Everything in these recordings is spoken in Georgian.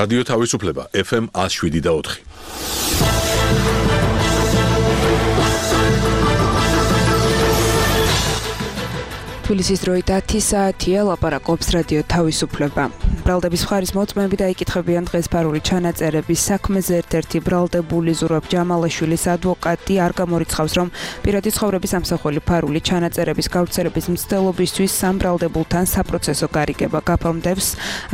რადიო თავისუფლება FM 107.4. თბილისის დროით 10 საათია, ლაპარაკობს რადიო თავისუფლება. ბრალდების მხარის მოწმეები დაიკითხებიან დღეს ფარული ჩანაწერების საქმეზე. ერთ-ერთი ბრალდებული ზურაბ ჯამალაშვილის ადვოკატი არ გამორიცხავს, რომ პირადი ცხოვრების ამსახველი ფარული ჩანაწერების გავრცელების მცდელობისთვის სამ ბრალდებულთან საპროცესო გარიგება გაფორმდებს.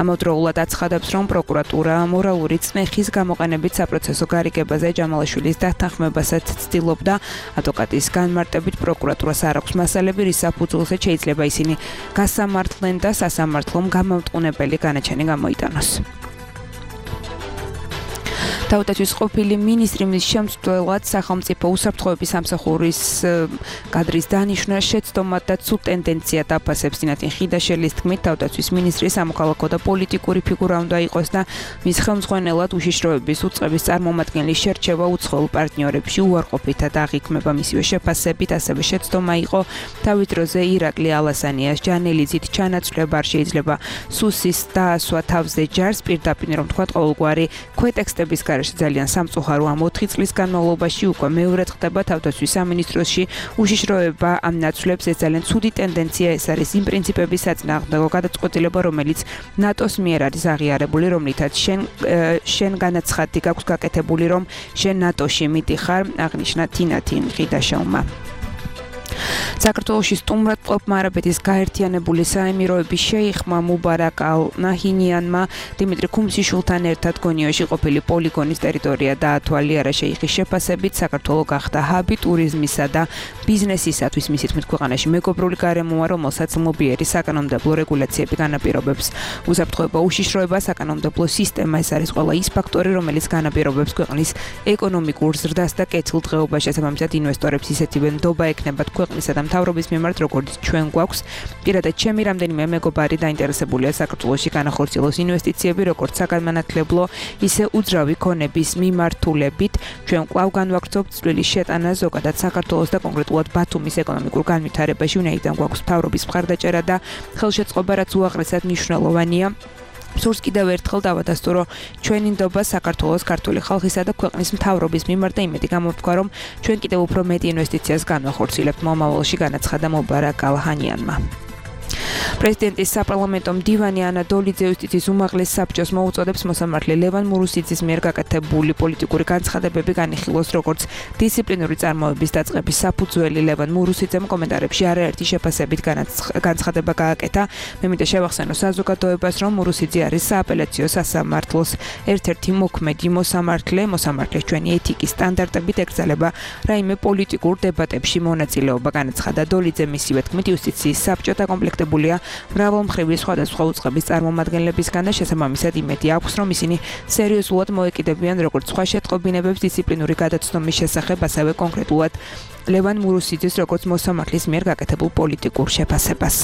ამავდროულად აცხადებს, რომ პროკურატურა მორალური წმეხის გამოყენებით საპროცესო გარიგებაზე ჯამალაშვილის დათანხმებასაც ცდილობდა. ადვოკატის განმარტებით პროკურატურას არ აქვს მასალები, რის საფუძველზე შეიძლება ისინი გასამართლენ და სასამართლომ გამამტყუნებელი განაჩენი გამოიტანოს. თავდაცვის ყოფილი მინისტრი მის შემცვლელად სახელმწიფო უსაფრთხოების სამსახურის კადრის დანიშვნა შეცდომად და ცუდ ტენდენციად აფასებს. დინათინ ხიდაშელის თქმით, თავდაცვის მინისტრი სამოქალაქო და პოლიტიკური ფიგურა უნდა იყოს და მის ხელმძღვანელად უშიშროების უწყების წარმომადგენლის შერჩევა უცხოელ პარტნიორებში უარყოფითად აღიქმება. მისივე შეფასებით ასევე შეცდომა იყო თავის დროზე ირაკლი ალასანიას ჯანელიძით ჩანაცვლება. არ შეიძლება სუსის დაასვა თავზე ჯარს, პირდაპირ რომ თქვა ყოველგვარი ქვეტექსტების ძალიან სამწუხარო ამ 4 წლის განმავლობაში უკვე მეორედ ხდება თავდაცვის სამინისტროში უშიშროება ამ ნაცვლებს. ეს ძალიან ცუდი ტენდენცია, ეს არის იმ პრინციპების საწინააღმდეგო გადაწყვეტილება, რომელიც ნატოს მიერ არის აღიარებული, რომლითაც შენ განაცხადი გაქვს გაკეთებული, რომ შენ ნატოში მიდიხარ, აღნიშნა თინათინ ხიდაშელმა. საქართველოში სტუმრად მყოფმა არაბეთის გაერთიანებული საემიროების შეიხმა მუბარაკ ალ-ნაჰინიანმა დიმიტრი ქუმსიშვილთან ერთად გონიოში ყოფილი პოლიგონის ტერიტორია დაათვალიერა. შეიხის შეფასებით საქართველო გახდა ჰაბი ტურიზმისა და ბიზნესისათვის. მისი თქმით, ქვეყანაში მეგობრული გარემოა, რომელსაც მობიერი საკანონმდებლო რეგულაციები განაპირობებს. უსაფრთხოება, უშიშროება, საკანონმდებლო სისტემა, ეს არის ყველა ის ფაქტორი, რომელიც განაპირობებს ქვეყნის ეკონომიკურ ზრდას და კეთილდღეობას. შესაბამისად, ინვესტორებს ისეთივე ნდობა ექნებათ ქვეყნისა და მთავრობის მიმართ, როგორც ჩვენ გვაქვს. პირადად ჩემი რამდენიმე მეგობარი დაინტერესებულია საქართველოში განახორციელოს ინვესტიციები, როგორც საგანმანათლებლო, ისე უძრავი ქონების მიმართულებით. ჩვენ კვლავ განვაგრძობთ წვლილის შეტანა ზოგადად საქართველოს და კონკრეტულად ბათუმის ეკონომიკურ განვითარებაში, ვინაიდან გვაქვს მთავრობის მხარდაჭერა და ხელშეწყობა, რაც უაღრესად მნიშვნელოვანია. სურს კიდევ ერთხელ დავადასტურო, რომ ჩვენი ნდობა საქართველოს, ქართული ხალხისა და ქვეყნის მთავრობის მიმართ და იმედი გამოგვქვა, რომ ჩვენ კიდევ უფრო მეტი ინვესტიციას განვახორციელებთ მომავალში, განაცხადა მუბარაკ ალ-ნაჰინიანმა. პრეზიდენტის საპარლამენტო მდივანი ანა დოლიძე იუსტიციის უმაღლეს საბჭოს მოუწოდებს მოსამართლე ლევან მურუსიძის მიერ გაკეთებული პოლიტიკური განცხადებები განიხილოს როგორც დისციპლინური წარმოების დაწყების საფუძველი. ლევან მურუსიძემ კომენტარებში არაერთი შეფასებით განცხადება გააკეთა. მე მინდა შევახსენო საზოგადოებას, რომ მურუსიძე არის სააპელაციო სასამართლოს ერთ-ერთი მოქმედი მოსამართლეს ჩვენი ეთიკის სტანდარტებით ეკრძალება რაიმე პოლიტიკურ დებატებში მონაწილეობა, განაცხადა დოლიძე. მისივე თქმით, იუსტიციის საბჭო დაკომპლექტებულია მრავალმხრივი სხვადასხვა უწყების წარმომადგენლებისგან და შესაბამისად იმედი აქვს, რომ ისინი სერიოზულად მოეკიდებიან როგორც სხვა შეტყობინებებს დისციპლინური გადაცნობის შესახებ, ასევე კონკრეტულად ლევან მურუსიძის როგორც მოსამართლის მიერ გაკეთებულ პოლიტიკურ შეფასებას.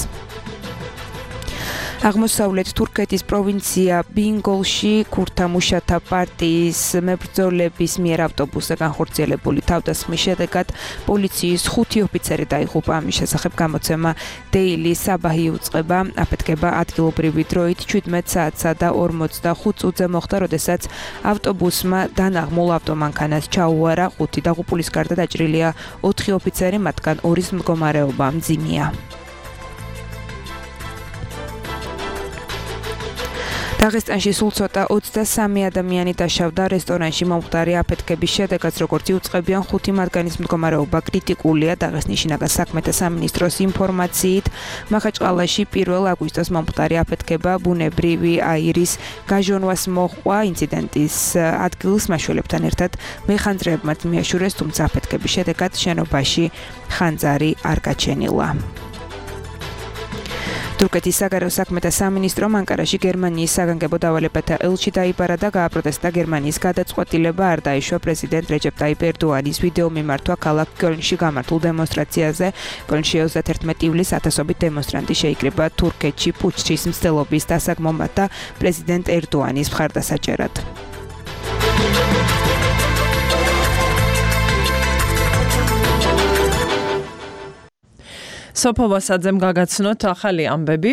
აღმოსავლეთ თურქეთის პროვინცია ბინგოლში ქურთა მუშათა პარტიის მებრძოლების მიერ ავტობუსზე განხორციელებული თავდასხმის შედეგად პოლიციის 5 ოფიცერი დაიღუპა. ამის შესახებ გამოცემა Daily Sabah-ი უწყება. აფეთქება ადგილობრივი დროით 17 საათსა და 45 წუთზე მოხდა, როდესაც ავტობუსმა დანაღმულ ავტომანქანას ჩაუარა. 5 დაღუპულის გარდა დაჭრილია 4 ოფიცერი, მათგან 2-ის მდგომარეობა მძიმეა. დაღესტანში სულ ცოტა 23 ადამიანი დაშავდა რესტორანში მომხდარი აფეთქების შედეგად, როგორც იუწყებიან 5 მათგანის მდგომარეობა კრიტიკულია. დაღესტნის შინაგან საქმეთა სამინისტროს ინფორმაციით, მახაჩყალაში 1 აგვისტოს მომხდარი აფეთქება ბუნებრივი აირის გაჟონვას მოჰყვა. ინციდენტის ადგილს მაშველებთან ერთად მეხანძრეებმა მიაშურეს, თუმცა აფეთქების შედეგად შენობაში ხანძარი არ გაჩენილა. თურქეთის საგარეო საქმეთა სამინისტრომ ანკარაში გერმანიის საგანგებო დავალებათა ელჩი დაიბარა და გააპროტესტა გერმანიის გადაწყვეტილება არ დაიშვა პრეზიდენტ რეჯეპ ტაიპ ერდოანის ვიდეო მიმართვა ქალაქ კოლნში გამართულ დემონსტრაციაზე. კოლნში 31 ივლისს ათასობით დემონსტრანტი შეიკრიბა თურქეთში პუჩის მცდელობის დასაგმომად და პრეზიდენტ ერდოანის მხარდასაჭერად. სოფო ვასაძემ გაგაცნოთ ახალი ამბები,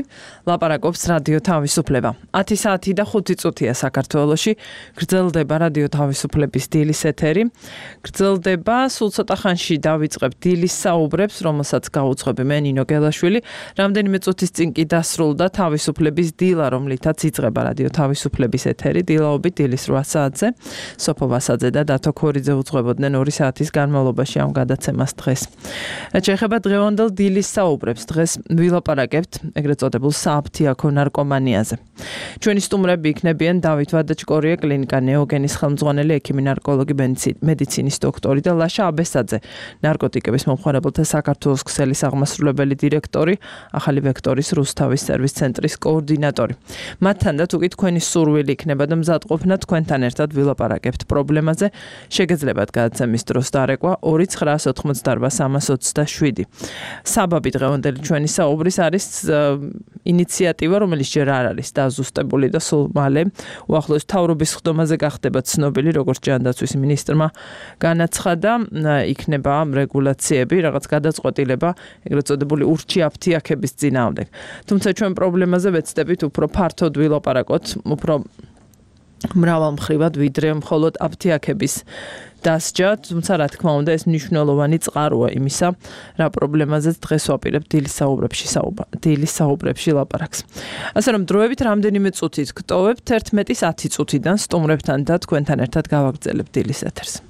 ლაპარაკობს რადიო თავისუფლება. 10 საათი და 5 წუთია საქართველოში, გრძელდება რადიო თავისუფლების დილის ეთერი. გრძელდება, სულ ცოტა ხანში დავიწყებ დილის საუბრებს, რომელსაც გაუძღვები მე ნინო გელაშვილი. რამდენიმე წუთის წინ კი დასრულდა თავისუფლების დილა, რომლითაც იწყება რადიო თავისუფლების ეთერი, დილაობით დილის 8 საათზე. სოფო ვასაძე და დათო ქორიძე უძღვებოდნენ 2 საათის განმავლობაში ამ გადაცემას დღეს. რაც შეეხება დღევანდელ დილის საუბრებს, დღეს ვილაპარაკებთ ეგრეთ წოდებულ სააფთიაქო ნარკომანიაზე. ჩვენი სტუმრები იქნებიან დავით ვადაჭკორია, კლინიკა ნეოგენის ხელმძღვანელი, ექიმი, ნარკოლოგი, მედიცინის დოქტორი და ლაშა აბესაძე, ნარკოტიკების მომხმარებელთა საქართველოს ქსელის აღმასრულებელი დირექტორი, ახალი ვექტორის რუსთავის სერვის ცენტრის კოორდინატორი. მათთან და თუკი თქვენი სურვილი იქნება და მზადყოფნა, თქვენთან ერთად ვილაპარაკებთ პრობლემაზე, შეგეძლებათ გადაცემის დროს დარეკვა 2988327. საბაბი დღევანდელი ჩვენი საუბრის არის ინიციატივა, რომელიც ჯერ არ არის დაზუსტებული და სულ მალე უახლოეს მთავრობის ხდომაზე გახდება ცნობილი, როგორც ჯანდაცვის მინისტრმა განაცხადა, იქნება რეგულაციები, რაღაც გადაწყვეტილება, ეგრეთ წოდებული ურჩი აფთიაქების წინააღმდეგ. თუმცა ჩვენ პრობლემაზე ვეცდებით უფრო ფართოდ ვილაპარაკოთ, უფრო მრავალმხრივად, ვიდრე მხოლოდ აფთიაქების დასჯა, თუმცა რა თქმა უნდა ეს მნიშვნელოვანი წყაროა იმისა, რა პრობლემაზეც დღეს ვაპირებთ დილის საუბრებში ლაპარაკს. ასე რომ დროებით რამდენიმე წუთით გტოვებთ 11-ის 10 წუთიდან სტუმრებთან და თქვენთან ერთად გავაგრძელებთ დილის ეთერს.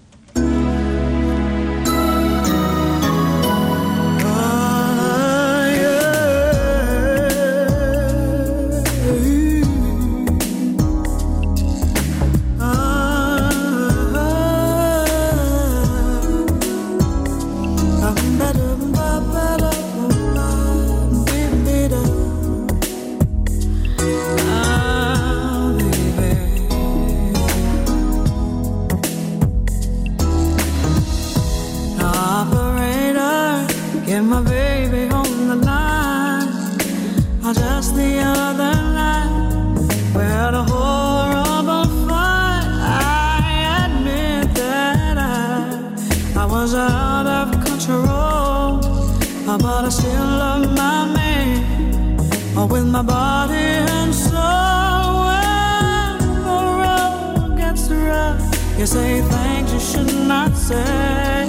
You say things you should not say,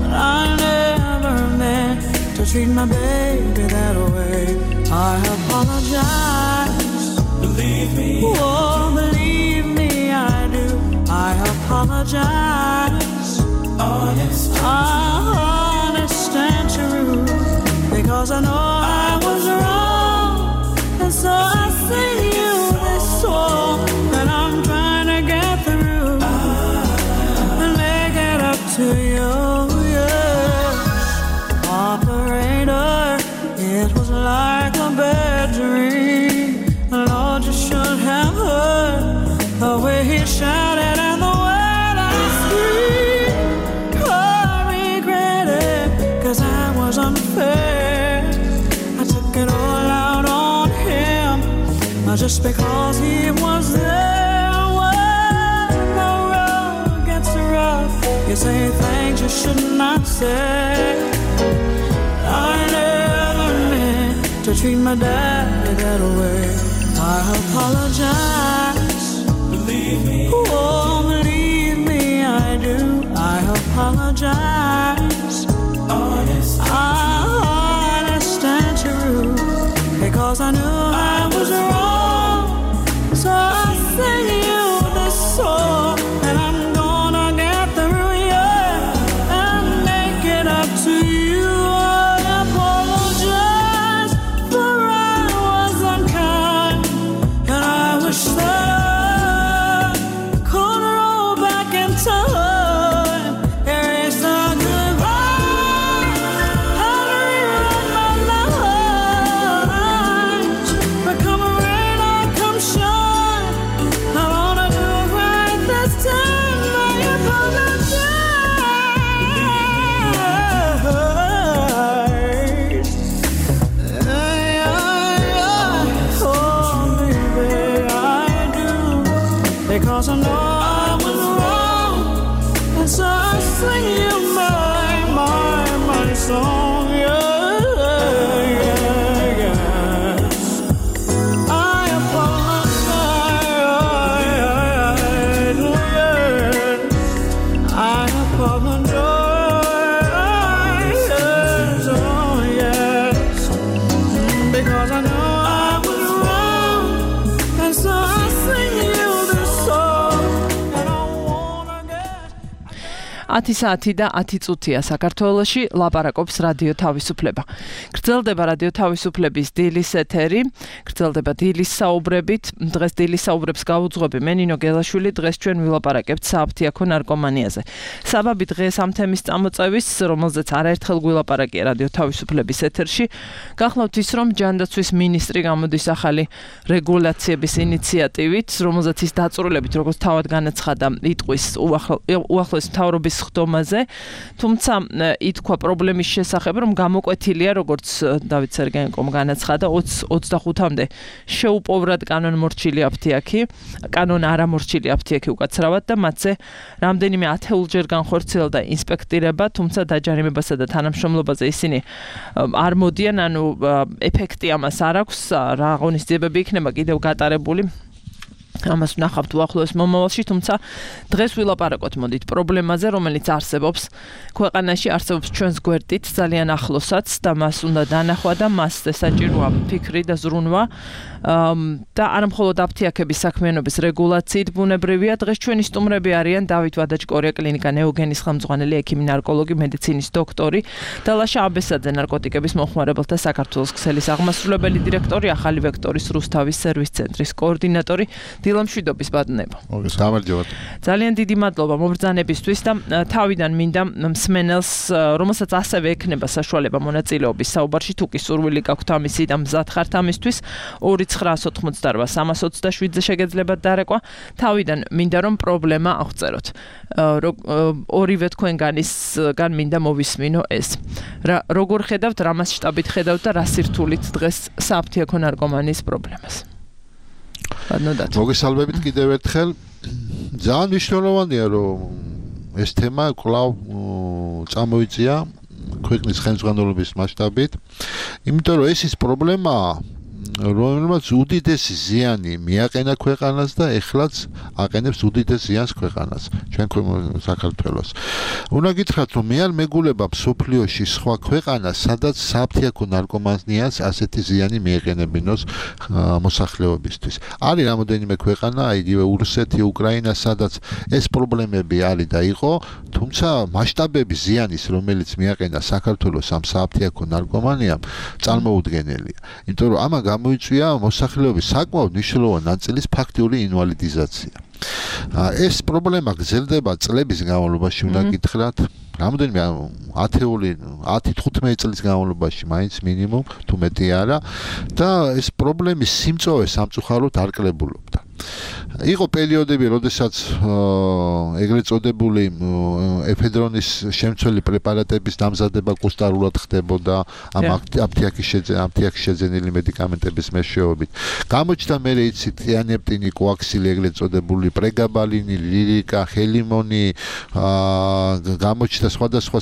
but I never meant to treat my baby that way. I apologize. Believe me. Oh, believe me, I do. I apologize. Honest and true, because I know I was wrong, and so I sing you this song that I'm trying to get through and make it up to you. Yeah. Operator, it was like a bad dream. Lord, you should have heard the way he shouted and the way that he screamed. I regret it, 'cause I was unfair. I took it all out on him, just because he was there. When the road gets rough, you say things you should not say. I never meant to treat my daddy that way. I apologize. Believe me. Oh, believe me, I do. I apologize. Honest and true, because I knew I was wrong. So I sing you this song, and I'm gonna get through, yeah, and make it up to you. I apologize for I was unkind, and I wish that I could roll back in time, erase the goodbye, and rewrite my life. But come rain or come shine, I wanna do it right this time. I apologize. Oh, baby, I do, because I know I was wrong, and so I sing you my song, yeah. 10 საათი და 10 წუთია საქართველოში, ლაპარაკობს რადიო თავისუფლება. გრძელდება რადიო თავისუფლების დილის ეთერი, გრძელდება დილის საუბრებით. დღეს დილის საუბრებს გავუძღვები მე ნინო გელაშვილი, დღეს ჩვენ ვილაპარაკებთ სააფთიაქო ნარკომანიაზე. საბაბი დღეს ამ თემის წამოწევის, რომელზეც არაერთხელ ვილაპარაკია რადიო თავისუფლების ეთერში, გახლავთ ის, რომ ჯანდაცვის მინისტრი გამოდის ახალი რეგულაციების ინიციატივით, რომელზეც ის დაწვრილებით, როგორც თავად განაცხადა, იტყვის უახლოეს მთავრობის ხდომაზე, თუმცა ითქვა პრობლემის შესახებ, რომ გამოკვეთილია, როგორც დავით სერგეენკომ განაცხადა, 25-მდე შეუპოვრად კანონმორჩილი აფთიაქი, კანონ არამორჩილი აფთიაქი უკაცრავად და მათზე რამდენიმე ათეულჯერ განხორციელდა ინსპექტირება, თუმცა დაჯარიმებასა და თანამშრომლობაზე ისინი არ მოდიან, ანუ ეფექტი ამას არ აქვს, რა აღონისძიებები იქნება კიდევ გატარებული. ამას ვნახავთ უახლოეს მომავალში, თუმცა დღეს ვილაპარაკოთ მოდით პრობლემაზე, რომელიც არსებობს ქვეყანაში, არსებობს ჩვენს გვერდით ძალიან ახლოსაც და მას უნდა დანახვა და მასზე საჭიროა ფიქრი და ზრუნვა და არა მხოლოდ აფთიაქების საქმიანობის რეგულაციით ბუნებრივია. დღეს ჩვენი სტუმრები არიან დავით ვადაჭკორია, კლინიკა ნეოგენის ხელმძღვანელი, ექიმი, ნარკოლოგი, მედიცინის დოქტორი და ლაშა აბესაძე, ნარკოტიკების მოხმარებელთა საქართველოს ქსელის აღმასრულებელი დირექტორი, ახალი ვექტორის რუსთავის სერვის ცენტრის კოორდინატორი. დილამშვიდობის ბატონებო. გამარჯობათ. ძალიან დიდი მადლობა მობრძანებისთვის და თავიდან მინდა მსმენელს, რომელსაც ასევე ექნება საშუალება მონაწილეობის საუბარში, თუ კი სურვილი გაქვთ ამისი და მზად ხართ ამისთვის, 2988327-ზე შეგეძლებათ დარეკვა. თავიდან მინდა რომ პრობლემა აღწეროთ. ორივე თქვენგანისგან მინდა მოვისმინო ეს. როგორ ხედავთ, რა მასშტაბით ხედავთ და რა სირთულით დღეს სააფთიაქო ნარკომანიის პრობლემას? მოგესალმებით კიდევ ერთხელ. ძალიან მნიშვნელოვანია, რომ ეს თემა კვლავ წამოიწია ქვეყნის ხელმძღვანელობის მასშტაბით, იმიტომ რომ ეს ის პრობლემაა, რომელმაც უდიდესი ზიანი მიაყენა ქვეყანას და ეხლაც აყენებს უდიდეს ზიანს ქვეყანას, ჩვენ საქართველოს. უნდა გითხრათ, რომ მე არ მეგულება მსოფლიოში სხვა ქვეყანას, სადაც სააფთიაქო ნარკომანიას ასეთი ზიანი მიეყენებინოს მოსახლეობისთვის. არის რამოდენიმე ქვეყანა, იგივე რუსეთი, უკრაინა, სადაც ეს პრობლემები არის და იყო, თუმცა მასშტაბების ზიანის, რომელიც მიაყენა საქართველოს ამ სააფთიაქო ნარკომანიამ, წარმოუდგენელია. იმიტომ რომ ამან გამოიწვია მოსახლეობის საკმაოდ მნიშვნელოვანი ნაწილის ფაქტიური ინვალიდიზაცია. ეს პრობლემა გრძელდება წლების განმავლობაში, უნდა გითხრათ, რამოდენიმე 10-15 წლის განმავლობაში მაინც მინიმუმ, თუ მეტი არა, და ეს პრობლემის სიმწოვე სამწუხაროდ არ კლებულობდა. იყო პერიოდები, როდესაც ეგრეთ წოდებული ეფედრონის შემცველი პრეპარატების დამზადება კუსტარულად ხდებოდა ამ აფთიაქის შეძენილი მედიკამენტების მეშვეობით. გამოჩნდა მერე იცით თიანეპტინი, კოაქსილი, ეგრეთ წოდებული პრეგაბალინი, ლირიკა, ხელიმონი, გამოჩნდა სხვადასხვა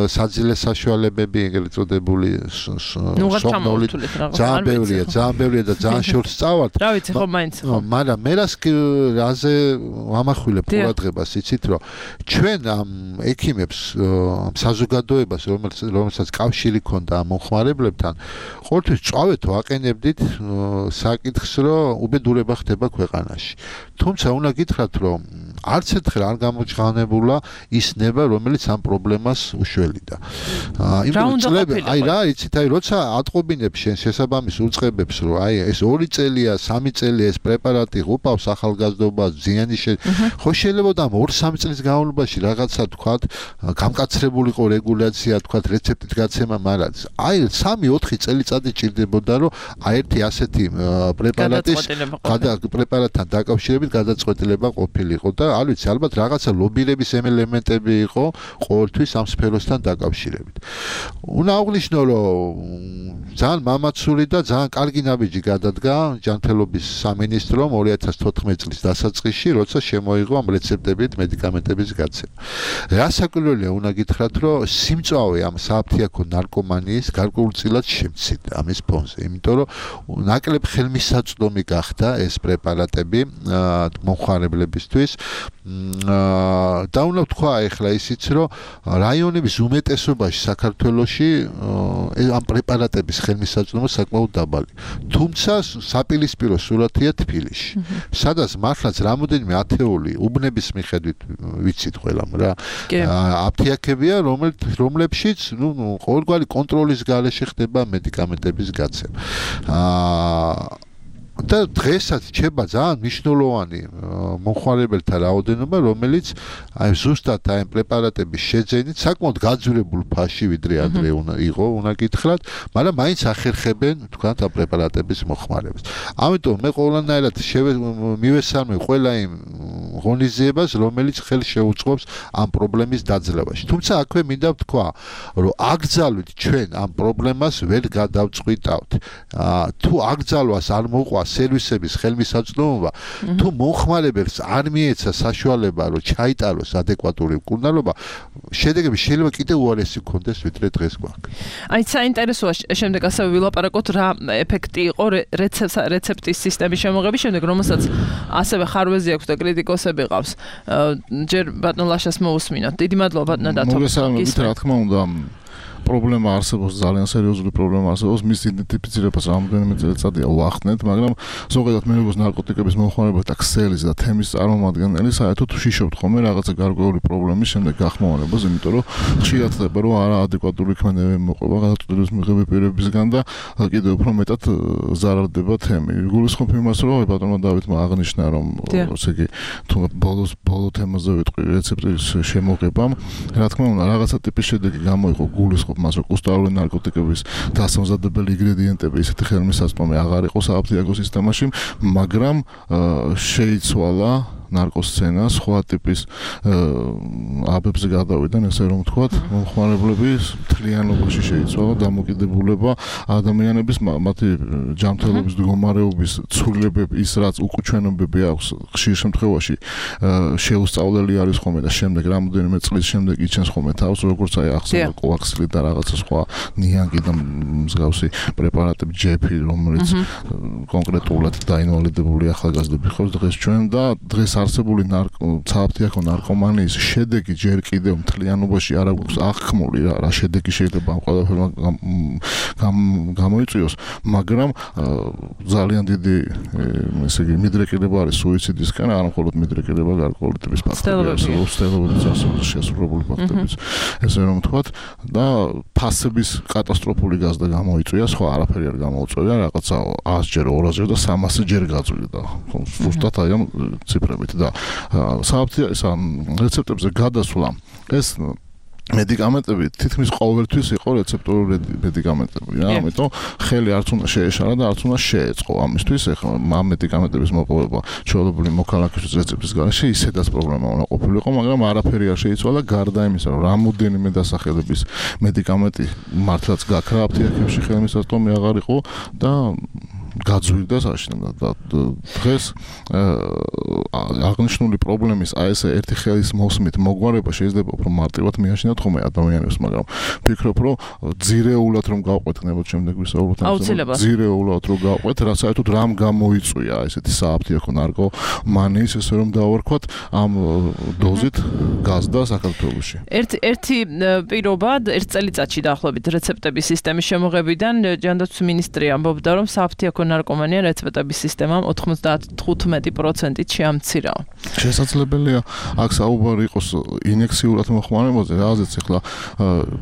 საძილე საშუალებები, ეგრეთ წოდებული სომნოლი. ძალიან ბევრია და ძალიან შორს წავართ. რა ვიცი, ხო მაინც ხო. მაგრამ მე რაზე ვამახვილებ ყურადღებას, იცით, რომ ჩვენ ამ ექიმებს, ამ საზოგადოებას, რომელსაც კავშირი ქონდა ამ მომხმარებლებთან, ყოველთვის წავეთ ვაყენებდით საკითხს, რომ უბედურება ხდება ქვეყანაში. თუმცა უნდა გითხრათ, რომ არც ერთხელ არ გამოჩვენებულა ის ნება, რომელიც ამ პრობლემას უშველიდა. იცით, როცა ატყობინებ შენ შესაბამის უწყებებს, რომ ეს 2 წელია, 3 წელია ეს პრეპარატი უპავს ახალგაზრდობას, ზიანი ხო შეიძლება და 2-3 წლის განმავლობაში რაღაცა თქვათ, გამკაცრებულიყო რეგულაცია, თქვათ, რეცეპტით გაცემა, მაგრამ 3-4 წელიწადი ჭირდებოდა, რომ ერთი ასეთი პრეპარატთან დაკავშირებით გადაწყვეტილება ყოფილიყო და არ ვიცი, ალბათ რაღაცა ლობირების ელემენტები იყო ყოველთვის ამ სფეროსთან დაკავშირებით. უნდა აღვნიშნო, რომ ძალიან მამაცური და ძალიან კარგი ნაბიჯი გადადგა ჯანმრთელობის სამინისტრომ 2014 წლის დასაწყისში, როცა შემოიღო ამ რეცეპტებით მედიკამენტების გაცემა. რასაკვირველია, უნდა გითხრათ, რომ სიმწვავე ამ სააფთიაქო ნარკომანიის გარკვეულწილად შემცირდა ამის ფონზე, იმიტომ რომ ნაკლებ ხელმისაწვდომი გახდა ეს პრეპარატები მომხმარებლებისთვის. და უნდა ვთქვა ახლა ისიც, რომ რაიონების უმეტესობაში საქართველოში ამ პრეპარატების ხელმისაწვდომობა საკმაოდ დაბალი. თუმცა საპირისპირო სურათია თბილისში. სადაც მართლაც რამოდენიმე ათეული უბნების მიხედვით ვიცით ყველამ რა. აფთიაქებია, რომლებშიც ყოველგვარი კონტროლის გარეშე ხდება მედიკამენტების გაცემა. და დღესაც რჩება ძალიან მნიშვნელოვანი მომხმარებელთა რაოდენობა, რომელიც აი ზუსტად აი პრეპარატების შეძენით საკმაოდ გაძვირებულ ფასში ვიდრე ადრე იყო, უნდა გითხრათ, მაგრამ მაინც ახერხებენ თქვათ ამ პრეპარატების მოხმარებას. ამიტომ მე ყველანაირად მივესალმე ყველა იმ ღონისძიებას, რომელიც ხელს შეუწყობს ამ პრობლემის დაძლევაში. თუმცა აქვე მინდა ვთქვა, რომ აკრძალვით ჩვენ ამ პრობლემას ვერ გადავწყვიტავთ. თუ აკრძალვას არ მოყვა სერვისების ხელმისაწვდომობა, თუ მომხმარებელს არ მიეცა საშუალება, რომ ჩაიტაროს ადეკვატური მკურნალობა, შედეგები შეიძლება კიდევ უარესი გქონდეს, ვიდრე დღეს გვაქვს. აი, საინტერესოა, შემდეგ ასევე ვილაპარაკოთ, რა ეფექტი იყო რეცეპტის სისტემის შემოღების შემდეგ, რომელსაც ასევე ხარვეზი აქვს და კრიტიკოსები ყავს. ჯერ ბატონ ლაშას მოусმინოთ. დიდი მადლობა ბატონო დათო. მოგესალმებით, რა თქმა უნდა. პრობლემა არსებობს, ძალიან სერიოზული პრობლემა არსებობს, მის იდენტიფიცირებას რამოდენიმე წელიწადია ვახდნეთ, მაგრამ ზოგადად მე როგორც ნარკოტიკების მომხმარებელთა ქსელის და თემის წარმომადგენელი, საერთოდ ვშიშობთ ხოლმე რაღაცა გარკვეული პრობლემის შემდეგ გახმოვანებას, იმიტომ რომ ხშირად ხდება, რომ არაადეკვატური ქმედებები მოყვება გადაწყვეტილების მიღების პირებისგან და კიდევ უფრო მეტად ზარალდება თემი. გულისხმობ იმას, რომ ბატონმა დავითმა აღნიშნა, რომ ესე იგი თუ ბოლო თემაზე ვიტყვი რეცეპტის შემოღებამ, რა თქმა უნდა, რაღაცა ტიპის შედეგი გამოიყო გულისხმობ მას რომ კუსტარული ნარკოტიკების დასამზადებელი ინგრედიენტები ისეთი ხელმისაწვდომი აღარ იყო საფთიაქო სისტემაში, მაგრამ შეიცვალა ნარკოსცენა, სხვა ტიპის აბებზე გადავიდან, ესე რომ ვთქვათ, მომხმარებლების მთლიანობაში შეიცვალა დამოკიდებულება ადამიანების მათი ჯანმრთელობის მდგომარეობის ცვლილებები, ის რაც უკუჩვენებები აქვს, ხშირ შემთხვევაში შეუსწავლელი არის ხოლმე და შემდეგ რამოდენიმე წლის შემდეგ იჩენს ხოლმე თავს, როგორც აი ახსოვდა კოაქსილი და რაღაცა სხვა ნიანგი და მსგავსი პრეპარატები, ჯეფი, რომელიც კონკრეტულად დაინვალიდებული ახალგაზრდები ხავს დღეს ჩვენ და დღეს არსებული საფთიაქო ნარკომანიის შედეგი ჯერ კიდევ მთლიანობაში არ აქვს აღქმული რა შედეგი შეიძლება ამ ყველაფერმა გამოიწვიოს, მაგრამ ძალიან დიდი ესე იგი მიდრეკილება არის სუიციდისკენ, არა მხოლოდ მიდრეკილება გარკვეული ტიპის ფაქტებია, სტელობების შესრულებული ფაქტებიც, ესე რომ ვთქვათ და ფასების კატასტროფული გაზრდა გამოიწვია, სხვა არაფერი არ გამოუწვია, რაღაცა 100-ჯერ, 200-ჯერ და 300-ჯერ გაწვიდა. ზუსტად აი ამ ციფრებით და რეცეპტებზე გადასვლა ეს მედიკამენტები თითქმის ყოველთვის იყო რეცეპტორული მედიკამენტები რა, ამიტომ ხელი არც უნდა შეეშალა და არც უნდა შეეწყო ამისთვის, ეხლა ამ მედიკამენტების მოპოვება ჩვეულებრივი მოქალაქის რეცეპტის გარეშე ისედაც პრობლემა უნდა ყოფილიყო, მაგრამ არაფერი არ შეიცვალა გარდა იმისა, რომ რამოდენიმე დასახელების მედიკამენტი მართლაც გაქრა აფთიაქებში ხელმისაწვდომი აღარ იყო და გაძვირდა საშინელად და დღეს აღნიშნული პრობლემის აი ესე ერთი ხელის მოსმით მოგვარება შეიძლება უფრო მარტივად მიაშინოთ ხოლმე ადამიანებს, მაგრამ ვფიქრობ, რომ ძირეულად რომ გავყვეთ, ნებოთ შემდეგ ვისაუბროთ ამაზე, ძირეულად რომ გავყვეთ, რა საერთოდ რამ გამოიწვია ესეთი საფთიაქო ნარკომანიის, ესე რომ დავარქვათ, ამ დოზით გაზდა საქართველოში. ერთი პირობა, ერთ წელიწადში დაახლოებით რეცეპტების სისტემის შემოღებიდან ჯანდაცვის მინისტრი ამბობდა, რომ საფთიაქო ნარკომანია რეცეპტების სისტემამ 95%-ით შეამცირა. შესაძლებელია აქ საუბარი იყოს ინიექციურად მოხმარებაზე, რაზეც ახლა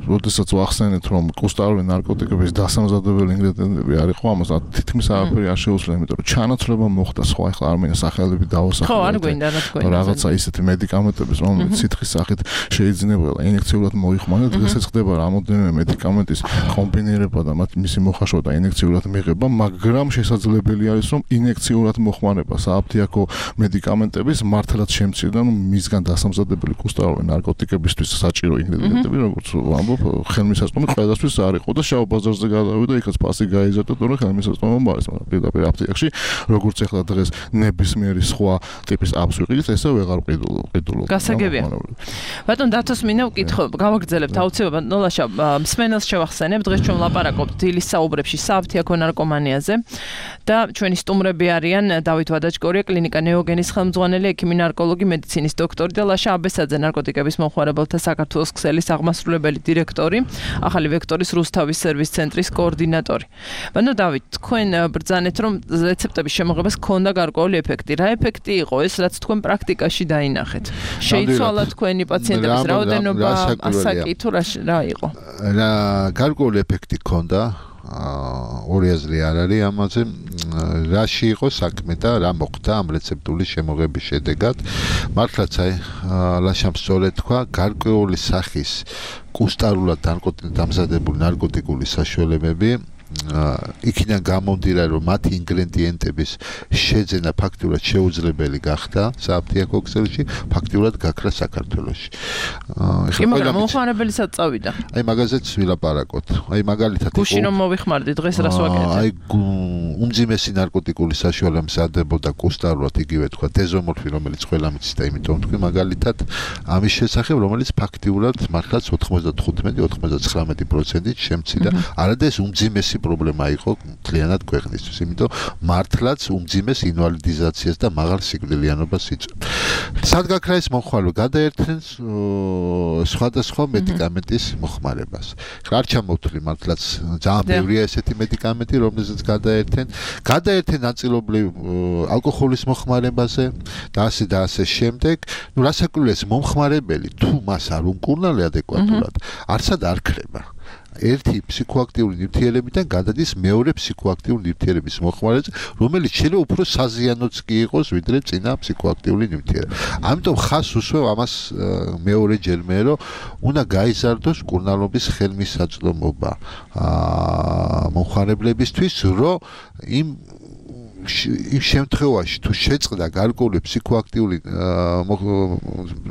როდესაც ვახსენეთ, რომ კუსტარული ნარკოტიკების დასამზადებელი ინგრედიენტები არ იყო, ამას თითქმის არაფერი არ შეუძლია, იმიტომ რომ ჩანაცვლება მოხდა სხვა, ახლა არ მინდა სახელები დავასახელო. ხო, არ გვინდა, რა თქმა უნდა. რაღაცა ისეთი მედიკამენტების, რომელიც სითხის სახით შეიძლება ინიექციურად მოიხმაროთ, დღესაც ხდება რამოდენიმე მედიკამენტის კომბინირება და მისი მოხაშვა და ინიექციურად მიღება, მაგრამ შესაძლებელი არის, რომ ინიექციურად მოხმარება საფთიაქო მედიკამენტების მართლაც შემცირდა, მისგან დასამზადებელი კუსტარული ნარკოტიკებისთვის საჭირო ინგრედიენტები, როგორც ვამბობ, ხელმისაწვდომი ყველასთვის არ იყო და შავ ბაზარზე გადავიდა, იქაც ფასი გაიზარდა, თორემ ხელმისაწვდომობა არის, მაგრამ პირდაპირ აფთიაქში, როგორც ახლა დღეს ნებისმიერი სხვა ტიპის აპს ვიყიდით, ესე ვეღარ ყიდულობ. გასაგებია. ბატონ დათოს მინდა ვკითხო, გავაგრძელებთ აუცილებლად, ნოლაშა მსმენელს შევახსენებ, დღეს ჩვენ ვლაპარაკობთ დილის საუბრებში საფთიაქო ნარკომანიაზე. და ჩვენი სტუმრები არიან დავით ვადაჩკორია, კლინიკა ნეოგენის ხელმძღვანელი, ექიმი, ნარკოლოგი, მედიცინის დოქტორი და ლაშა აბესაძე, ნარკოტიკების მომხმარებელთა საქართველოს ქსელის აღმასრულებელი დირექტორი, ახალი ვექტორის რუსთავის სერვის ცენტრის კოორდინატორი. ბანო დავით, თქვენ ბრძანეთ, რომ რეცეპტების შემოღებას ჰქონდა გარკვეული ეფექტი. რა ეფექტი იყო ეს, რაც თქვენ პრაქტიკაში დაინახეთ? შეიცვალა თქვენი პაციენტების რაოდენობა, ასაკი თუ რა იყო? რა გარკვეული ეფექტი ჰქონდა, ორი აზრი არ არის ამაზე, რაში იყო საქმე და რა მოხდა ამ რეცეპტული შემოღების შედეგად. მართლაც ლაშამ სწორედ თქვა, გარკვეული სახის კუსტარულად დამზადებული ნარკოტიკული საშუალებები იქიდან გამომდინარე, რომ მათი ინგრედიენტების შეძენა ფაქტურად შეუძლებელი გახდა საფთიაქო ქსელში, ფაქტურად გაქრა საქართველოში. მაგრამ მომხმარებელსაც წავიდა. აი მაგაზეც ვილაპარაკოთ. აი მაგალითად იყო გუშინ რომ მოვიხმარდი, დღეს რას ვაკეთებ? აი უმძიმესი ნარკოტიკული საშუალება მზადდებოდა კუსტარულად, იგივე თქვა დეზომორფი, რომელიც ყველა მიცის და იმიტომ თქვი მაგალითად ამის შესახებ, რომელიც ფაქტიურად მართლაც 95-99%-ით შემცირდა. არადა ეს უმძიმესი პრობლემა იყო მთლიანად ქვეყნისთვის, იმიტომ მართლაც უმძიმეს ინვალიდიზაციას და მაღალ სიკვდილიანობას იწვევს. სად გაქრა ეს მომხმარება? გადაერთნენ სხვადასხვა მედიკამენტის მოხმარებას. არ ჩამოვთვლი მართლაც ძალიან ბევრია ესეთი მედიკამენტი, რომელზეც გადაერთენ ნაწილობრივ ალკოჰოლის მოხმარებაზე და ასე შემდეგ. ნუ რასაკვირველია ეს მომხმარებელი თუ მას არ უმკურნალე ადეკვატურად, არცად არ ქრება. ერთი ფსიქოაქტიური ნივთიერებიდან გადადის მეორე ფსიქოაქტიური ნივთიერების მოხმარებაზე, რომელიც შეიძლება უფრო საზიანოც კი იყოს, ვიდრე წინა ფსიქოაქტიური ნივთიერება. ამიტომ ხას უსვევ ამას მეორეჯერმე, რომ უნდა გაიზარდოს მკურნალობის ხელმისაწვდომობა მომხმარებლებისთვის, რომ იმ შემთხვევაში თუ შეწყდა გარკვეული ფსიქოაქტიური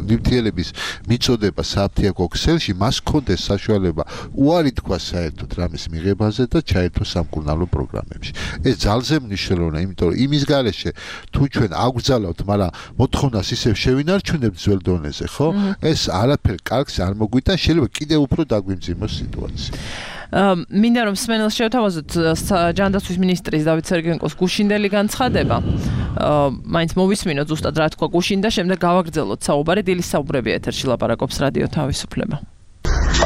ნივთიერების მიწოდება საფთიაქო ქსელში, მას ჰქონდეს საშუალება უარი თქვა საერთოდ რამის მიღებაზე და ჩაერთოს სამკურნალო პროგრამებში. ეს ძალზე მნიშვნელოვანია, იმიტომ რომ იმის გარეშე თუ ჩვენ აგვძალავთ, მაგრამ მოთხოვნას ისევ შევინარჩუნებთ ძველ დონეზე, ხო? ეს არაფერ კარგს არ მოგვიტან, შეიძლება კიდევ უფრო დაგვიმძიმოს სიტუაცია. მინდა რომ სმენელს შევთავაზოთ ჯანდაცვის მინისტრის დავით სერგენკოს გუშინდელი განცხადება. მაინც მოვისმინოთ ზუსტად რა თქვა გუშინ და შემდეგ გავაგრძელოთ საუბარი. დილის საუბრები ეთერში ლაპარაკობს რადიო თავისუფლება.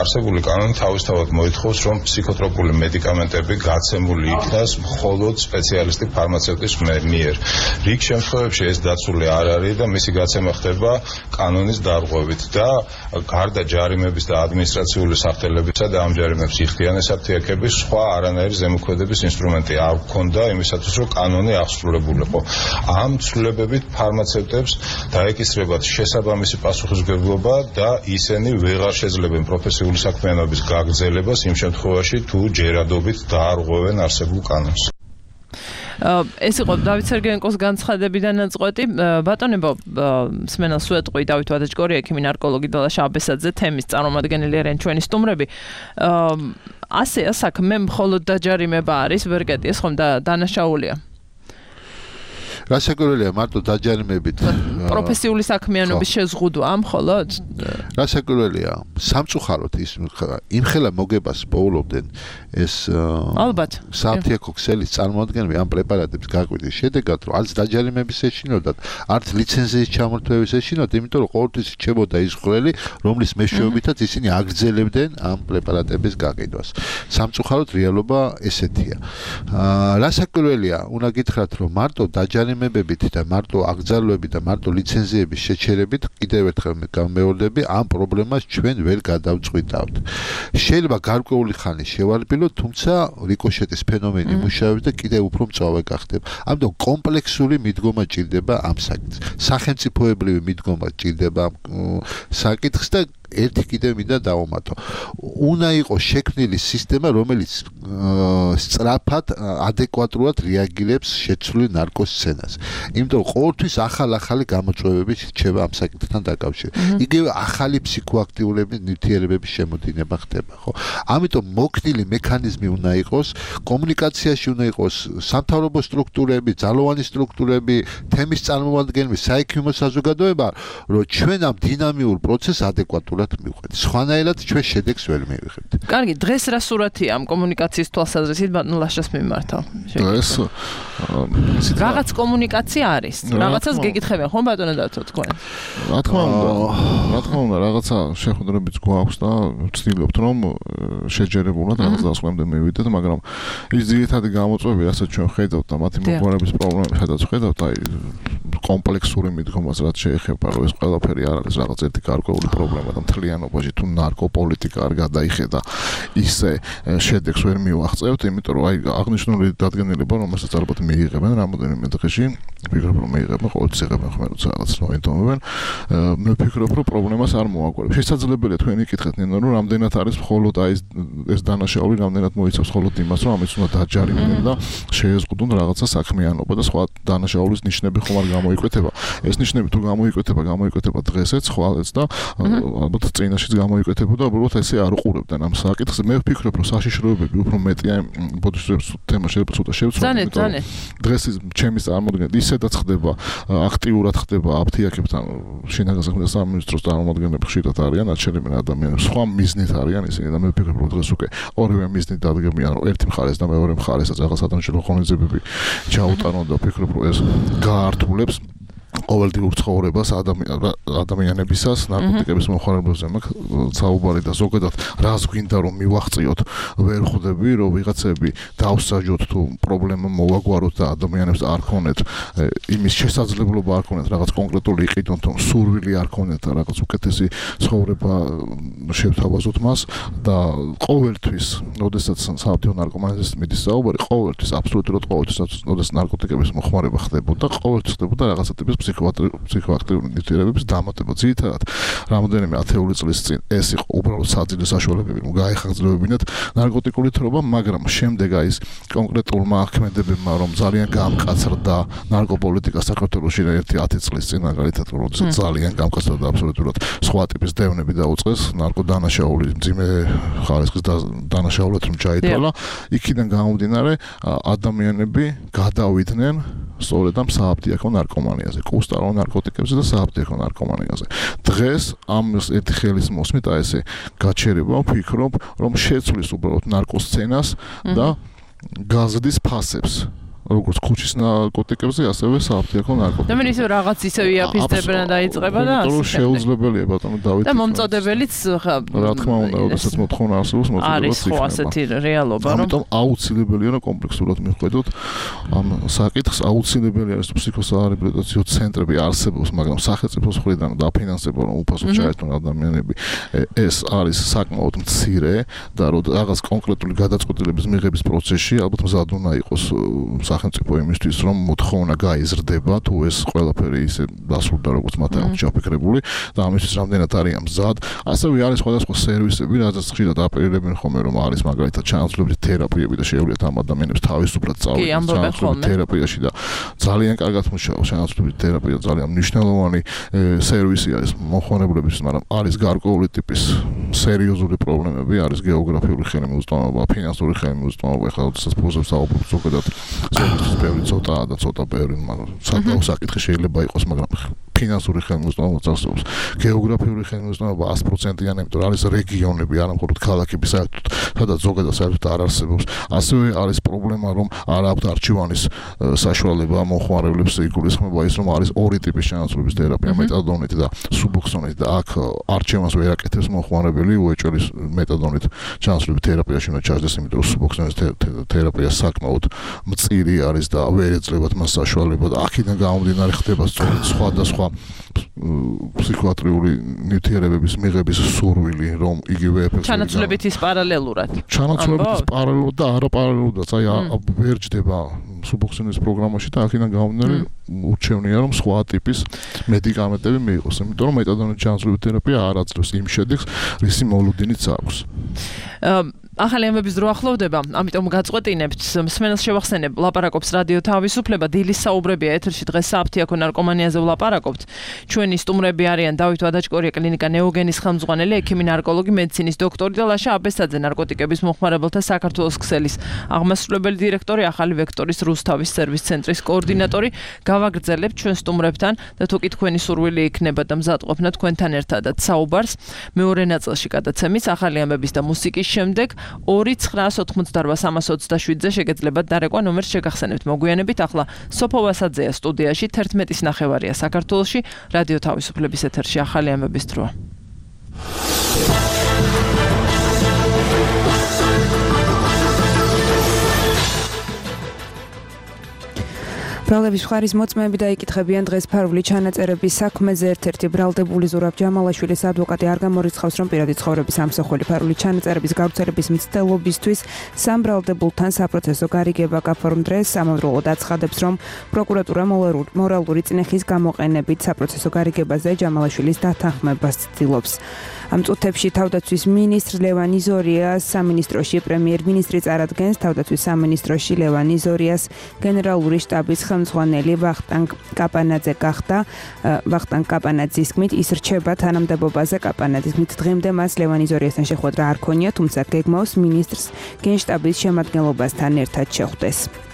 არსებული კანონი თავისთავად მოითხოვს, რომ ფსიქოტროპული მედიკამენტები გაცემული იქნას მხოლოდ სპეციალისტი ფარმაცევტის მიერ. რიგ შემთხვევებში ეს დაცული არ არის და მისი გაცემა ხდება კანონის დარღვევით და გარდა ჯარიმების და ადმინისტრაციული სახთელებისა და ამ ჯარიმებს იხდიან საფთიაქები, სხვა არანაირი ზემოქმედების ინსტრუმენტი არ ჰქონდა იმისათვის, რომ კანონი აღსრულებულიყო. ამ ცვლილებებით ფარმაცევტებს დაეკისრებათ შესაბამისი პასუხისმგებლობა და ისინი ვეღარ შეძლებენ პროფესიული საქმიანობის გაგრძელებას იმ შემთხვევაში, თუ ჯერადობით დაარღვევენ არსებულ კანონს. ეს იყო დავით სერგენკოს განცხადებიდან ნაწყვეტი. ბატონებო, სმენელს უეტყვი დავით ვადაჩკორია, ექიმი, ნარკოლოგი და ლაშა აბესაძე, თემის წარმომადგენელი არიან ჩვენი სტუმრები. ასეა საქმე, მხოლოდ დაჯარიმება არის, ვერ გეტიეს ხომ და დანაშაულია? რასაკვირველია მარტო დაჯარიმებით პროფესიული საქმიანობის შეზღუდვა მხოლოდ? რასაკვირველია სამწუხაროდ ის იმხელა მოგებას პოულობდნენ ეს ალბათ საფთიაქო ქსელის წარმოადგენები ამ პრეპარატებს გაყვირის შედეგად, რომ არც დაჯარიმების ეშინოდათ, არც ლიცენზიის ჩამორთმევის ეშინოდათ, იმიტომ რომ ყოველთვის რჩებოდა ის ხვრელი, რომლის მეშვეობითაც ისინი აგრძელებდნენ ამ პრეპარატების გაყიდვას. სამწუხაროდ რეალობა ესეთია. რასაკვირველია, უნდა გითხრათ, რომ მარტო დაჯარიმებებით და მარტო აკრძალვებით და მარტო ლიცენზიების შეჩერებით კიდევ ერთხელ გამეორდები, ამ პრობლემას ჩვენ ვერ გადავწყვიტავთ. შეიძლება გარკვეული ხანი შევარბილოთ, თუმცა რიკოშეტის ფენომენი მუშაობს და კიდევ უფრო მწვავე გახდება. ამიტომ კომპლექსური მიდგომა ჭირდება ამ საკითხს. სახელმწიფოებრივი მიდგომა ჭირდება საკითხს და ერთი კიდევ მინდა დავუმატო. უნდა იყოს შექმნილი სისტემა, რომელიც სწრაფად, ადეკვატურად რეაგირებს შეცვლილ ნარკოსცენას. იმიტომ ყოველთვის ახალი გამოწვევები რჩება ამ საკითხთან დაკავშირებით. იგივე ახალი ფსიქოაქტიურების ნივთიერებების შემოდინება ხდება, ხო? ამიტომ მოქმედი მექანიზმი უნდა იყოს, კომუნიკაციაში უნდა იყოს სამთავრობო სტრუქტურები, ძალოვანი სტრუქტურები, თემის წარმომადგენლები, საექიმო საზოგადოება, რომ ჩვენ ამ დინამიურ პროცესს ადეკვატურად ადეკვატურად მივყვეთ. სხვანაირად ჩვენ შედეგს ვერ მივიღებთ. კარგი, დღეს რა სურათია ამ კომუნიკაციის თვალსაზრისით ბატონ ლაშას მიმართავ? დღეს რაღაც კომუნიკაცია არის. რაღაცას გეკითხებიან ხომ ბატონო დათო თქვენ? რა თქმა უნდა, რაღაცა შეხვედრებიც გვაქვს და ვცდილობთ რომ შეჯერებულად რაღაც დასკვნამდე მივიდეთ, მაგრამ ის ძირითადი გამოწვევები, რასაც ჩვენ ხედავთ და მათი მოგვარების პრობლემები, სადაც ხედავთ, აი კომპლექსური მიდგომას რაც შეეხება, რომ ეს ყველაფერი არ არის რაღაც ერთი გარკვეული პრობლემა და მთლიანობაში თუ ნარკოპოლიტიკა არ გადაიხედა, ისე შედეგს ვერ მივაღწევთ, იმიტომ რომ აი აღნიშნული დადგენილება, რომელსაც ალბათ მიიღებენ რამოდენიმე დღეში, ვფიქრობ რომ მიიღებენ, ყოველთვის იღებენ ხომ როცა რაღაც მოინდომებენ. მე ვფიქრობ რომ პრობლემას არ მოაგვარებ. შესაძლებელია თქვენი კითხეთ ნინო, რომ რამდენად არის მხოლოდ აი ეს დანაშაული, რამდენად მოიცავს მხოლოდ იმას, რომ ამის უნდა დაჯარიმდნენ და შეეზღუდონ რაღაცა საქმიანობა და სხვა დანაშაულის ნიშნები ხომ არ გამოიკვეთება. ეს ნიშნები თუ გამოიკვეთება დღესაც, ხვალეც და ალბათ წინაშეც გამოიკვეთებოდა, უბრალოდ ესე არ უყურებდნენ ამ საკითხს. მე ვფიქრობ რომ საშიშროებები უფრო მეტია ბოდიშების თემა შეიძლება შევცვალოთ. ძალიან. დღეს ჩემის წარმოდგენით ისედაც ხდება, აქტიურად ხდება აფთიაქებთან შინაგან საქმეთა სამინისტროს წარმომადგენლები ხშირად არიან, რაც შეიძლება ადამიანებს სხვა მიზნით არიან ისინი და მე ვფიქრობ რომ დღეს უკვე ორივე მიზნით დადგებიან, რომ ერთი მხარეს და მეორე მხარესაც რაღაც ადამიანშვილ ღონისძიებები ჩაუტარონ და ვფიქრობ რომ ეს გაართულებს ყოველდღიურ ცხოვრებას ადამიანებისას ნარკოტიკების მოხმარებლებზე მაქვს საუბარი და ზოგადად რას გვინდა რომ მივახციოთ ვერ ხვდები რომ ვიღაცები დავსაჯოთ თუ პრობლემა მოვაგვაროთ და ადამიანებს არ ქონეთ იმის შესაძლებლობა არ ქონეთ რაღაც კონკრეტული იყიდონ თუ სურვილი არ ქონეთ რაღაც უკეთესი ცხოვრება შევთავაზოთ მას და ყოველთვის როდესაც საავტო ნარკომანიზმის მიდის საუბარი ყოველთვის აბსოლუტურად ყოველთვის როდესაც ნარკოტიკების მოხმარება ხდებოდა ყოველთვის ხდებოდა რაღაცა ტიპის ფსიქოაქტიური ნივთიერებების დამატება. ძირითადად რამოდენიმე ათეული წლის წინ ეს იყო უბრალოდ საძილე საშუალებები, რომ გაეხარჯლებინათ ნარკოტიკული თრობა, მაგრამ შემდეგ აი ეს კონკრეტულმა ახმედებებმა, რომ ძალიან გამკაცრდა ნარკოპოლიტიკა საქართველოში ერთი 10 წლის წინ, მაგალითად, როდესაც ძალიან გამკაცრდა და აბსოლუტურად სხვა ტიპის დევნები დაუწყეს, ნარკოდანაშაული, მძიმე ხარისხის დანაშაულად რომ ჩაითვალა, იქიდან გამომდინარე ადამიანები გადავიდნენ სწორედ ამ სააფთიაქო ნარკომანიაზე, კუსტარო ნარკოტიკებზე და სააფთიაქო ნარკომანიაზე. დღეს ამის ერთი ხელის მოსმით აი ესე გაჩერება ვფიქრობ, რომ შეცვლის უბრალოდ ნარკოსცენას და გაზრდის ფასებს. როგორც ქუჩის ნარკოტიკებზე, ასევე სააფთიაქო ნარკოტიკებზე. და მე ისე რაღაც ისე იაფისდებიან და დაიწყება და ასე. შეუძლებელია ბატონო დავით. და მომწოდებელიც რა თქმა უნდა, როდესაც მოთხოვნა არსებობს, მოწოდებაც არის ხო ასეთი რეალობა, რომ ამიტომ აუცილებელია რომ კომპლექსურად მიხვედოთ ამ საკითხს, აუცილებელია რომ ფსიქოსარეაბილიტაციო ცენტრები არსებობს, მაგრამ სახელმწიფოს მხრიდან დაფინანსება რომ უფასოდ ჩაერთონ ადამიანები, ეს არის საკმაოდ მცირე და რაღაც კონკრეტული გადაწყვეტილების მიღების პროცესში ალბათ მზად უნდა იყოს სახელმწიფო იმისთვის რომ მოთხოვნა გაიზრდება თუ ეს ყველაფერი ისე დასრულდა როგორც მათ აქვს ჩაფიქრებული და ამისთვის რამდენად არიან მზად. ასევე არის სხვადასხვა სერვისები, რაზეც ხშირად აპელირებენ ხოლმე რომ არის მაგალითად ჩანაცვლებული თერაპიები და შეუძლიათ ამ ადამიანებს თავისუფლად წავიდნენ ჩანაცვლებული თერაპიაში და ძალიან კარგად მუშაობს ჩანაცვლებული თერაპია, ძალიან მნიშვნელოვანი სერვისი არის მომხმარებლების, მაგრამ არის გარკვეული ტიპის სერიოზული პრობლემები, არის გეოგრაფიული ხელმისაწვდომობა, ფინანსური ხელმისაწვდომობა, ახლა როდესაც პროზებს საუბრობ ზოგადად ზოგადად ბევრი ცოტაა და ცოტა ბევრი, მაგრამ საკმაოდ საკითხი შეიძლება იყოს, მაგრამ ფინანსური ხელმისაწვდომობა წარსულს. გეოგრაფიული ხელმისაწვდომობა 100%-იანი, იმიტომ რომ არის რეგიონები, არა მხოლოდ ქალაქები საერთოდ, სადაც ზოგადად საერთოდ არ არსებობს. ასევე არის პრობლემა, რომ არ აქვს არჩევანის საშუალება მომხმარებლებს იგულისხმება ის, რომ არის ორი ტიპის ჩანაცვლების თერაპია, მეტადონით და სუბოქსონით და აქ არჩევანს ვერ აკეთებს მომხმარებელი, უეჭვლის მეტადონით ჩანაცვლების თერაპიაში უნდა ჩაჯდეს, იმიტომ რომ სუბოქსონის თერაპია საკმაოდ მწირი არის და ვერ ეძლებათ მას საშუალება და აქედან გამომდინარე ხდება სწორედ სხვადასხვა ფსიქოატრიული ნივთიერებების მიღების სურვილი, რომ იგივე ეფექტი ჩანაცვლებით ის პარალელურად. ჩანაცვლებით ის პარალელურად და არაპარალელურად, აი ვერ ჯდება სუბოქსონის პროგრამაში და აქედან გამომდინარე ურჩევნია რომ სხვა ტიპის მედიკამენტები მიიღოს, იმიტომ რომ მეტადონის ჩანაცვლების თერაპია არ აძლევს იმ შედეგს, რისი მოლოდინიც აქვს. ახალი ამბების დრო ახლოვდება, ამიტომ გაწყვეტინებთ მსმენელს შევახსენებ ლაპარაკობს რადიო თავისუფლება დილის საუბრებია ეთერში დღეს საფთიაქო ნარკომანიაზე ვლაპარაკობთ. ჩვენი სტუმრები არიან დავით ვადაჭკორია კლინიკა ნეოგენის ხელმძღვანელი, ექიმი ნარკოლოგი, მედიცინის დოქტორი და ლაშა აბესაძე ნარკოტიკების მოხმარებელთა საქართველოს ქსელის აღმასრულებელი დირექტორი, ახალი ვექტორის რუსთავის სერვის ცენტრის კოორდინატორი. გავაგრძელებთ ჩვენ სტუმრებთან და თუ კი თქვენი სურვილი იქნება და მზადყოფნა თქვენთან ერთადაც საუბარს მეორე ნაწილში გადაცემის ახალი ამბების და მუსიკის შემდეგ 2988327-ზე შეგეძლებათ დარეკვა ნომერს შეგახსენებთ მოგვიანებით. ახლა სოფო ვასაძეა სტუდიაში 11:09 საქართველოში რადიო თავისუფლების ეთერში ახალი ამბების დროა. ბრალდების მხარის მოწმეები დაიკითხებიან დღეს ფარული ჩანაწერების საქმეზე. ერთ-ერთი ბრალდებული ზურაბ ჯამალაშვილის ადვოკატი არ გამორიცხავს, რომ პირადი ცხოვრების ამსახველი ფარული ჩანაწერების გავრცელების მცდელობისთვის სამ ბრალდებულთან საპროცესო გარიგება გაფორმდრეს. ამავდროულად აცხადებს, რომ პროკურატურა მორალური წნეხის გამოყენებით საპროცესო გარიგებაზე ჯამალაშვილის დათანხმებას ცდილობს. ამ წუთებში თავდაცვის მინისტრ ლევან იზორიას სამინისტროში პრემიერ-მინისტრი წარადგენს. თავდაცვის სამინისტროში ლევან იზორიას გენერალური შტაბის ხელმძღვანელი ვახტანგ კაპანაძე გახდა. ვახტანგ კაპანაძის თქმით ის რჩება თანამდებობაზე. კაპანაძის თქმით დღემდე მას ლევან იზორიასთან შეხვედრა არ ქონია, თუმცა გეგმავს მინისტრს გენშტაბის შემადგენლობასთან ერთად შეხვდეს.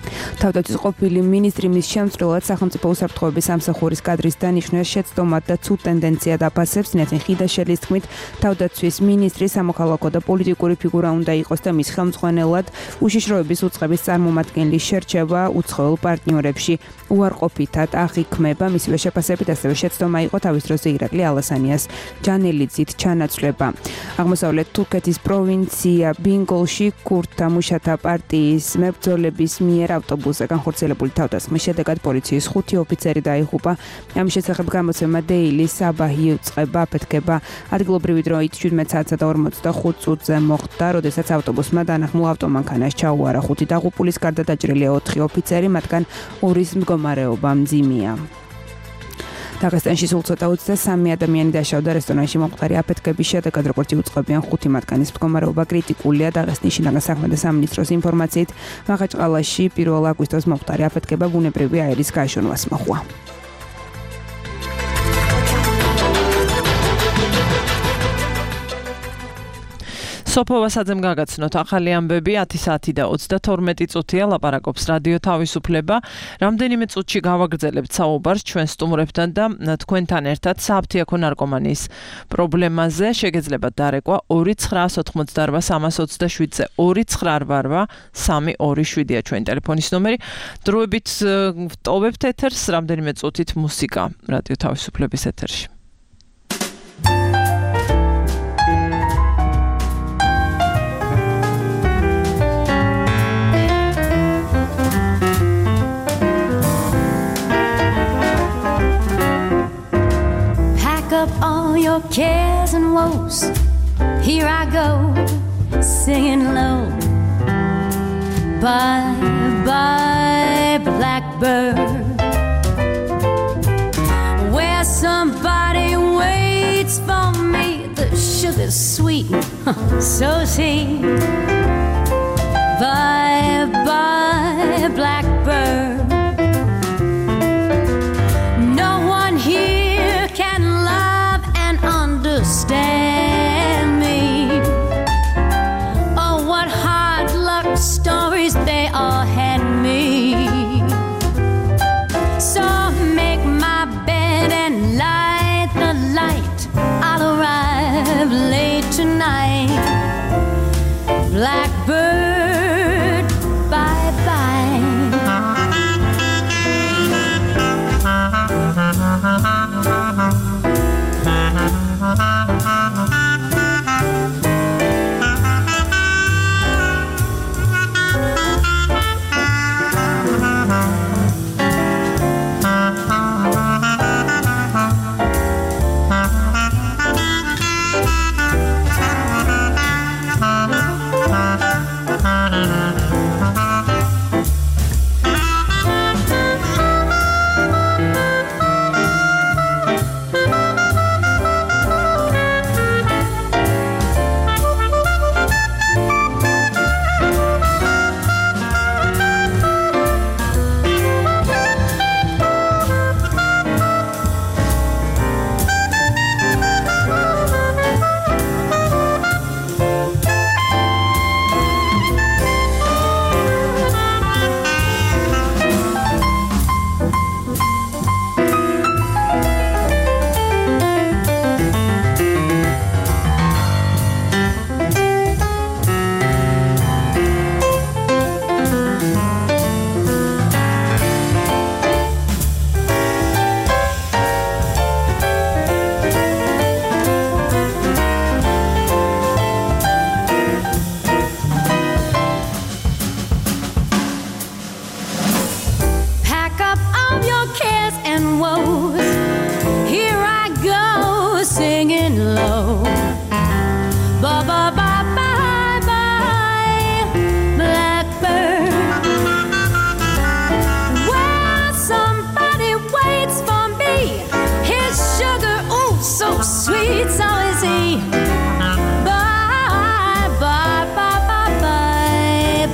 თავდაცვის ყოფილი მინისტრი მის შემცვლელად სახელმწიფო უსაფრთხოების სამსახურის კადრის დანიშვნას შეცდომად და ცუდ ტენდენციად აფასებს. ნეთინ ხიდაშელის თქმით თავდაცვის მინისტრი სამოქალაქო და პოლიტიკური ფიგურა უნდა იყოს და მის ხელმძღვანელად უშიშროების უწყების წარმომადგენლის შერჩევა უცხოელ პარტნიორებში უარყოფითად აღიქმება. მისივე შეფასებით ასევე შეცდომა იყო თავის დროზე ირაკლი ალასანიას ჯანელიძით ჩანაცვლება. აღმოსავლეთ თურქეთის პროვინცია ბინგოლში ქურთთა მუშათა პარტიის მებრძოლების მიერ ავტობუსზე განხორციელებული თავდასხმის შედეგად პოლიციის 5 ოფიცერი დაიღუპა. ამის შესახებ გამოცემა Daily Sabah-ი უწყება აფეთქება. ადგილობრივი დროით 17:45 წუთზე მოხდა, როდესაც ავტობუსმა დანახმულ ავტომანქანას ჩაუარა 5 დაღუპულის გარდა დაჭრილია 4 ოფიცერი, მათგან 2-ის მდგომარეობა მძიმეა. დაღესტანში სულ ცოტა 23 ადამიანი დაშავდა რესტორანში მომხდარი აფეთქების შედეგად, როგორც იუწყებიან 5 მათგანის მდგომარეობა კრიტიკულია. დაღესტნის შინაგან საქმეთა სამინისტროს ინფორმაციით მახაჩყალაში 1 აგვისტოს მომხდარი აფეთქება ბუნებრივი აირის გაშონვას მოჰყვა. სოფო ვასაძემ გაგაცნოთ ახალი ამბები 10 საათი და 32 წუთია ლაპარაკობს რადიო თავისუფლება. რამდენიმე წუთში გავაგრძელებთ საუბარს ჩვენ სტუმრებთან და თქვენთან ერთად საფთიაქო ნარკომანიის პრობლემაზე. შეგეძლებათ დარეკვა 2988327-ზე 2988327-ია ჩვენი ტელეფონის ნომერი. დროებით ვტოვებთ ეთერს, რამდენიმე წუთით მუსიკა რადიო თავისუფლების ეთერში. Up all your cares and woes. Here I go, singing low. Bye, bye, blackbird. Where somebody waits for me. The sugar's sweet, so sweet. Bye, bye, blackbird. Understand me. Oh, what hard luck stories they all had me. So make my bed and light the light. I'll arrive late tonight. Blackbird, bye bye.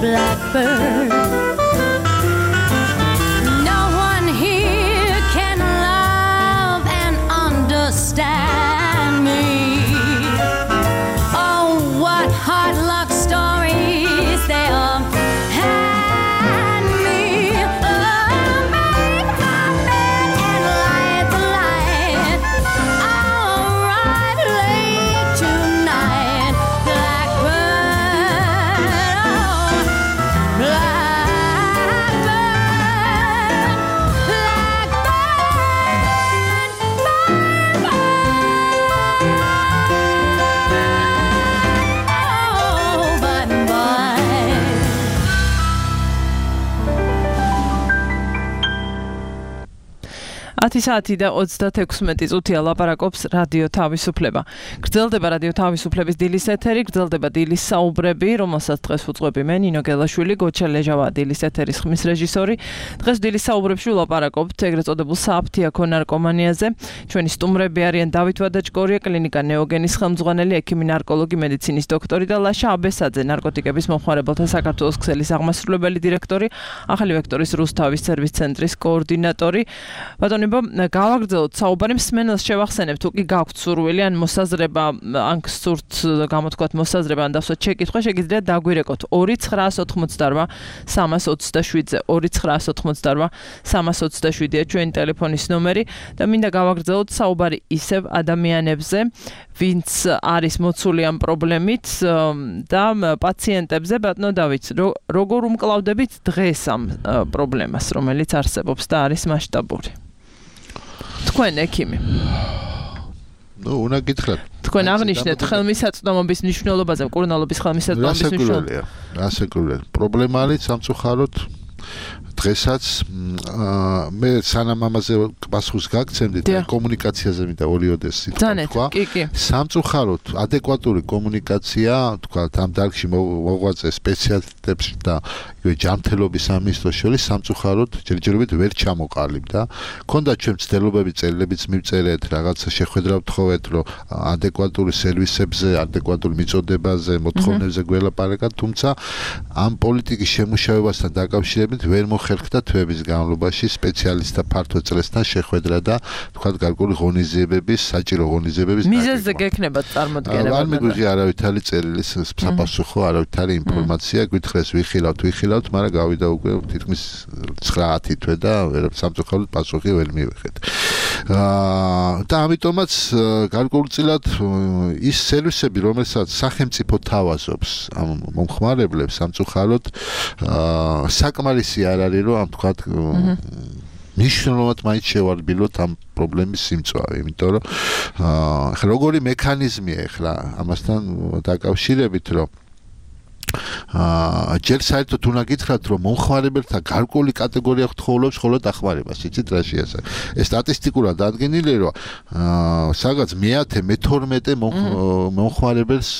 blackbird. No one here can love and understand me. Oh, what hard luck stories they all hand me. Oh, make my bed and light the light. I'll arrive late tonight. Blackbird, oh, blackbird, საათი და 36 წუთია ლაპარაკობს რადიო თავისუფლება. გრძელდება რადიო თავისუფლების დილის ეთერი, გრძელდება დილის საუბრები, რომელსაც დღეს უძღვები მე ნინო გელაშვილი, გოჩა ლეჟავა დილის ეთერის ხმის რეჟისორი. დღეს დილის საუბრებში ვლაპარაკობთ ეგრეთ წოდებულ საფთიაქო ნარკომანიაზე. ჩვენი სტუმრები არიან დავით ვადაჭკორია, კლინიკა ნეოგენის ხელმძღვანელი, ექიმი ნარკოლოგი, მედიცინის დოქტორი და ლაშა აბესაძე, ნარკოტიკების მომხმარებელთა საქართველოს ქსელის აღმასრულებელი დირექტორი, ახალი ვექტორის რუსთავის სერვის ცენტრის კოორდინატორი. ბატონებო, გავაგრძელოთ საუბარი, მსმენელს შევახსენებთ, თუ კი გაქვთ სურვილი ან მოსაზრება, ან გსურთ გამოთქვათ მოსაზრება, ან დავსვათ შეკითხვა, შეგიძლიათ დაგვირეკოთ 2988 327-ზე 2988 327-ია ჩვენი ტელეფონის ნომერი და მინდა გავაგრძელოთ საუბარი ისევ ადამიანებზე, ვინც არის მოცული ამ პრობლემით და პაციენტებზე. ბატონო დავით, როგორ უმკლავდებით დღეს ამ პრობლემას, რომელიც არსებობს და არის მასშტაბური? თქვენ ექიმი. უნდა გითხრათ. თქვენ აღნიშნეთ ხელმისაწვდომობის მნიშვნელობაზე, მკურნალობის ხელმისაწვდომობის მნიშვნელობაზე. რასაკურველი პრობლემა არის სამწუხაროდ დღესაც მე სანამ ამაზე პასუხს გაგცემდით კომუნიკაციაზე მინდა ორიოდეს თქვა. სამწუხაროდ ადეკვატური კომუნიკაცია, თქვა ამ დარგში მოღვაწე სპეციალისტებს და ჯანმრთელობის სამინისტროს შორის სამწუხაროდ ჯერჯერობით ვერ ჩამოყალიბდა. ქონდა ჩვენ მცდელობები წერილებიც მივწერეთ, რაღაცა შეხვედრა ვთხოვეთ, რომ ადეკვატური სერვისებზე, ადეკვატური მიწოდებაზე, მოთხოვნებზე გველაპარაკოთ, თუმცა ამ პოლიტიკის შემუშავებასთან დაკავშირებით ვერ მოხერხდა თვეების განმავლობაში სპეციალისტთა ფართო წრესთან შეხვედრა და თქვა გარკვეული ღონისძიებების, საჭირო ღონისძიებების მიზეზზე გექნება წარმოდგენება. არ მიგვიღია არავითარი წერილი საფასუხო, არავითარი ინფორმაცია, გითხრეს ვიხილავთ, მაგრამ გავიდა უკვე თითქმის 9-10 თვე და სამწუხაროდ პასუხი ვერ მივიღეთ. და ამიტომაც გარკვეულწილად ის სერვისები, რომელსაც სახელმწიფო თავაზობს ამ მომხმარებლებს, სამწუხაროდ საკმარისი არ არის, რომ ამ თქვა მნიშვნელოვნად მაინც შევარბილოთ ამ პრობლემის სიმწვავე, იმიტომ რომ ახლა როგორი მექანიზმია ახლა ამასთან დაკავშირებით, რომ ჯერ საერთოდ უნდა გითხრათ, რომ მომხმარებელთა გარკვეული კატეგორია გთხოვლობს მხოლოდ დახმარებას, იცით რა შეასახა. ეს სტატისტიკურად დადგენილია, რომ სადღაც მე-10-მე-12 მომხმარებელს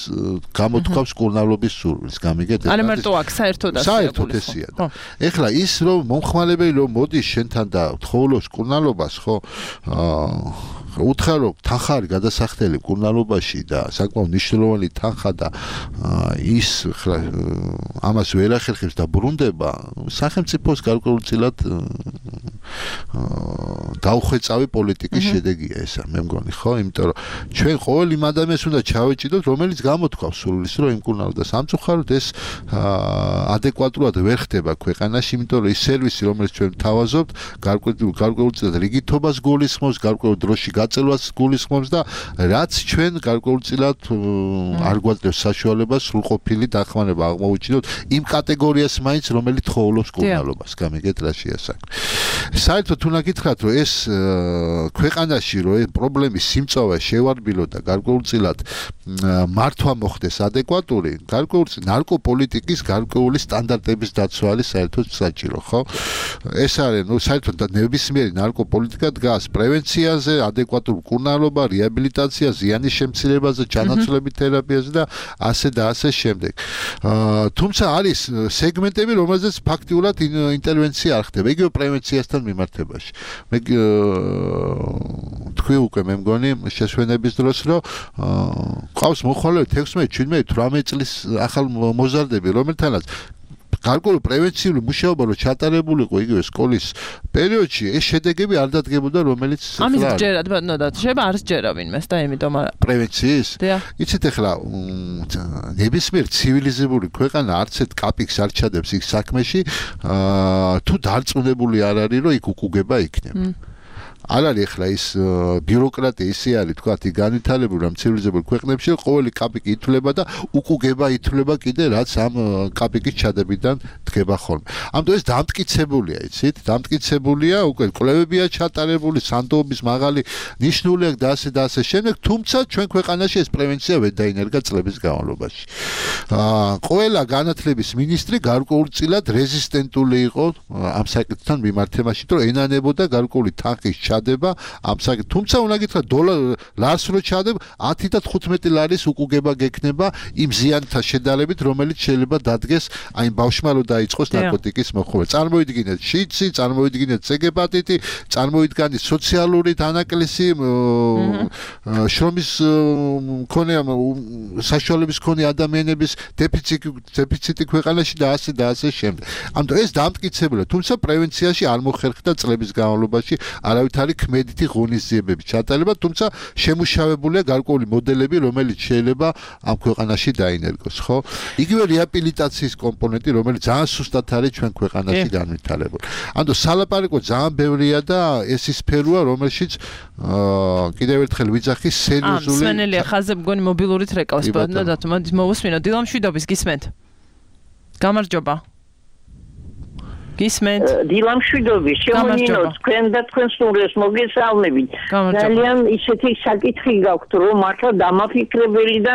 გამოთქვამს მკურნალობის სურვილს, გამიგეთ? არა მარტო აქ საერთოდ ესეა. ეხლა ის რომ მომხმარებელი რომ მოდის შენთან და გთხოვლობს მკურნალობას, ხო? უთხარო თანხა არის გადასახდელი მკურნალობაში და საკმაოდ მნიშვნელოვანი თანხა და ის ამას ვერ ახერხებს და ბრუნდება, სახელმწიფოს გარკვეულწილად დაუხვეწავი პოლიტიკის შედეგია ესა, მე მგონი, ხო? იმიტომ რომ ჩვენ ყოველ იმ ადამიანს უნდა ჩავეჭიდოთ, რომელიც გამოთქვავს სურვილს, რომ იმკურნალოს და სამწუხაროდ ეს ადეკვატურად ვერ ხდება ქვეყანაში, იმიტომ რომ ის სერვისი, რომელიც ჩვენ თავაზობთ, გარკვეულწილად რიგითობას გულისხმობს, გარკვეულ დროში გაწელვას გულისხმობს და რაც ჩვენ გარკვეულწილად არ გვაძლევს საშუალებას სრულყოფილი დახმარება აღმოუჩინოთ იმ კატეგორიას მაინც, რომელიც თხოვლობს მკურნალობას, გამიგეთ რა შეასახა. საერთოდ უნდა გითხრათ, რომ ეს ქვეყანაში რომ ეს პრობლემის სიმწავე შევარბილო და გარკვეულწილად მართვა მოხდეს ადეკვატური, გარკვეულწილად ნარკოპოლიტიკის გარკვეული სტანდარტების დაცვა არის საერთოდ საჭირო, ხო? ეს არის, საერთოდ ნებისმიერი ნარკოპოლიტიკა დგას პრევენციაზე, ადეკვატურ მკურნალობა, რეაბილიტაცია, ზიანის შემცირებაზე, ჩანაცვლებით თერაპიაზე და ასე შემდეგ. თუმცა არის სეგმენტები, რომელზეც ფაქტიურად ინტერვენცია არ ხდება, იგივე პრევენციასთან მიმართებაში. მე თქვი უკვე მე მგონი შესვენების დროს, რომ ყავს მოხვალე 16, 17, 18 წლის ახალ მოზარდები, რომელთანაც გარკვეული პრევენციული მუშაობა რო ჩატარებულიყო იგივე სკოლის პერიოდში, ეს შედეგები არ დადგებოდა, რომელიც ამის ჯერად ბატონო და შეიძლება არ ჯერა ვინმეს და იმიტომ პრევენციის იცით ახლა ნებისმიერ ცივილიზებული ქვეყანა არც ერთ კაპიკს არ ჩადებს იქ საქმეში თუ დარწმუნებული არ არის რომ იქ უკუგება იქნება არ არის ახლა ის ბიუროკრატია ისე არის თქვათ იქ განვითარებული ამ ცივილიზებულ ქვეყნებში ყოველი კაპიკი ითვლება და უკუგება ითვლება კიდე რაც ამ კაპიკის ჩადებიდან დგება ხოლმე ამიტომ ეს დამტკიცებულია იცით დამტკიცებულია უკვე კვლევებია ჩატარებული სანდოობის მაღალი ნიშნული და ასე შემდეგ თუმცა ჩვენ ქვეყანაში ეს პრევენცია ვერ დაინერგა წლების განმავლობაში ყველა განათლების მინისტრი გარკვეულწილად რეზისტენტული იყო ამ საკითხთან მიმართებაში რომ ენანებოდა გარკვეული თანხის ჩადება ამ საკითხ თუმცა უნდა გითხრათ ლარს რო ჩადებ 10 და 15 ლარის უკუგება გექნება იმ ზიანთა შედარებით რომელიც შეიძლება დადგეს აი ბავშვმა რო დაიწყოს ნარკოტიკის მოხმობა წარმოიდგინეთ შიცი წარმოიდგინეთ ცეგეპატიტი წარმოიდგინეთ სოციალური დანაკლისი შრომის მქონე საშუალების მქონე ადამიანების დეფიციტი ქვეყანაში და ასე შემდეგ ამიტომ ეს დამტკიცებულია თუმცა პრევენციაში არ მოხერხდა წლების განმავლობაში არავითარი ქმედითი ღონისძიებები ჩატარება თუმცა შემუშავებულია გარკვეული მოდელები რომელიც შეიძლება ამ ქვეყანაში დაინერგოს ხო იგივე რეაბილიტაციის კომპონენტი რომელიც ძალიან სუსტად არის ჩვენ ქვეყანაში განვითარებული ანუ სალაპარაკო ძალიან ბევრია და ეს ის სფეროა რომელშიც კიდევ ერთხელ ვიძახი სერიოზული სვენელია ხაზე მგონი მობილურით რეკავს ბატონო და მოვუსმინო დილამშვიდობის გისმენთ გამარჯობა გისმენთ დილამშვიდობის შემონინო თქვენ და თქვენ სტუმრებს მოგესალმებით ძალიან ისეთი საკითხი გაქვთ რომ მართლა დამაფიქრებელი და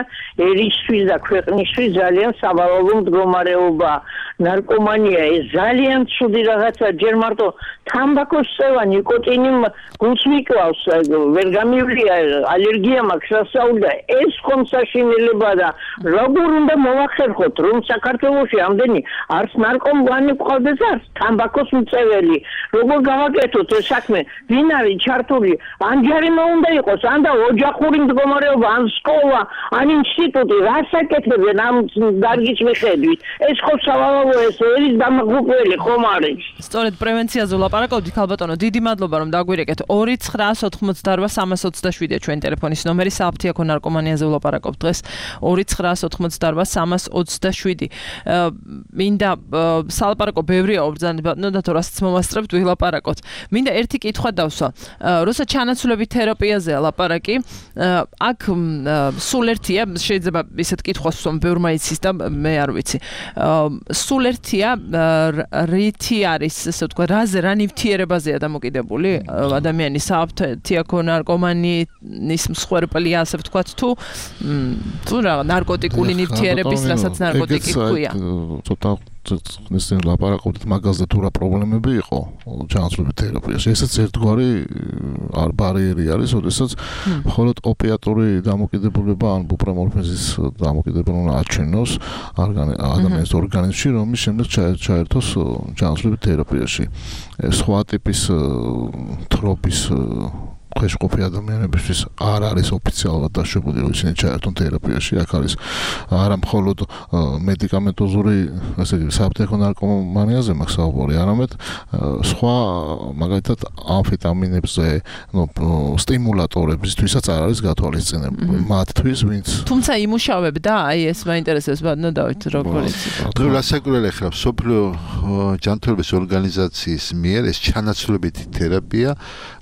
ერისთვის და ქვეყნისთვის ძალიან სავალალო მდგომარეობა ნარკომანია ეს ძალიან ცუდი რაღაცა ჯერ მარტო თამბაქოს წევა ნიკოტინი გულს მიკლავს ვერ გამივლია ალერგია მაქვს სასაუბრა ეს ხომსაშინელება და როგორ უნდა მოვახერხოთ რომ საქართველოში ამდენი არც ნარკომანი ყავდეს არც თამბაქოს მწეველი როგორ გავაკეთოთ ეს საქმე ვინ არის ჩართული ან ჯარიმა უნდა იყოს ან და ოჯახური მდგომარეობა ან სკოლა ან ინსტიტუტი რასაკეთებენ ამ დარგის მიხედვით ეს ხო სავალალო ეს ერის დამღუპველი ხომ არის სწორედ პრევენციაზე ვლაპარაკობთ ხალბატონო დიდი მადლობა რომ დაგვირეკეთ 2988327 ჩვენ ტელეფონის ნომერი საფთიაქო ნარკომანიაზე ვლაპარაკობთ დღეს 2988327 მინდა სალაპარაკო ბევრია ობრძანება და თორასაც მომასწრებთ ვილაპარაკოთ მინდა ერთი კითხვა დავსვა როცა ჩანაცვლებით თერაპიაზეა ლაპარაკი აქ სულ ერთია შეიძლება ისეთ კითხვას ვსვამ ბევრმა იცის და მე არ ვიცი სულ ერთია რითი არის ესე ვთქვა რა ნივთიერებაზეა დამოკიდებული ადამიანის საფთიაქო ნარკომანის მსხვერპლია ასე ვთქვათ თუ რა ნარკოტიკული ნივთიერების რასაც ნარკოტიკი ქვია ცოტა ისინი ლაპარაკობთ მაგაზე თუ რა პრობლემები იყო ჩანაცვლებით თერაპიაში. ესეც ერთგვარი ბარიერი არის, როდესაც მხოლოდ ოპიატური დამოკიდებულება ან ბუპრემორფიზის დამოკიდებულება აჩვენოს ადამიანის ორგანიზმში, რომლის შემდეგ ჩაერთოს ჩანაცვლებით თერაპიაში. სხვა ტიპის თროპის ქვეშყოფი ადამიანებისთვის არ არის ოფიციალურად დაშვებული, რომ ისინი ჩაერთონ თერაპიაში. აქ არის არა მხოლოდ მედიკამენტოზური, ასე იგი, საფთიაქო ნარკომანიაზე მაქვს საუბარი, არამედ სხვა, მაგალითად, ამფეტამინებზე, სტიმულატორებისთვისაც არ არის გათვალისწინებული. მათთვის, ვინც თუმცა იმუშავებდა, აი ეს მაინტერესებს ბატონო დავით, როგორ იცით? გასაკვირველი ხარ, სოფლიო ჯანმრთელობის ორგანიზაციის მიერ ეს ჩანაცვლებითი თერაპია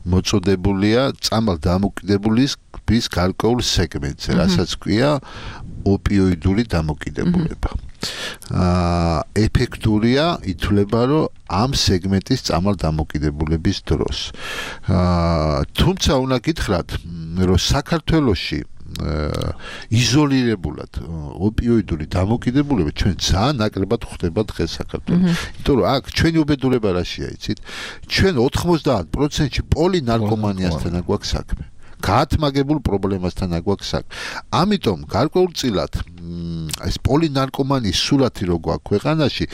მოწოდებულია წამალ დამოკიდებულის გარკვეულ სეგმენტზე, რასაც ქვია ოპიოიდური დამოკიდებულება. ეფექტურია ითვლება, რომ ამ სეგმენტის წამალ დამოკიდებულების დროს. თუმცა უნდა გითხრათ, რომ საქართველოში იზოლირებულად ოპიოიდური დამოკიდებულება ჩვენ ძალიან ნაკლებად ხდება დღეს საქართველოში. იმიტომ რომ აქ ჩვენი უბედურება რაშია, იცით? ჩვენ 90%-ში პოლინარკომანიასთან გვაქვს საქმე. გაათმაგებულ პრობლემასთან გვაქვს საქმე. ამიტომ გარკვეულწილად ეს პოლინარკომანის სურათი რო გვაქვს ქვეყანაში,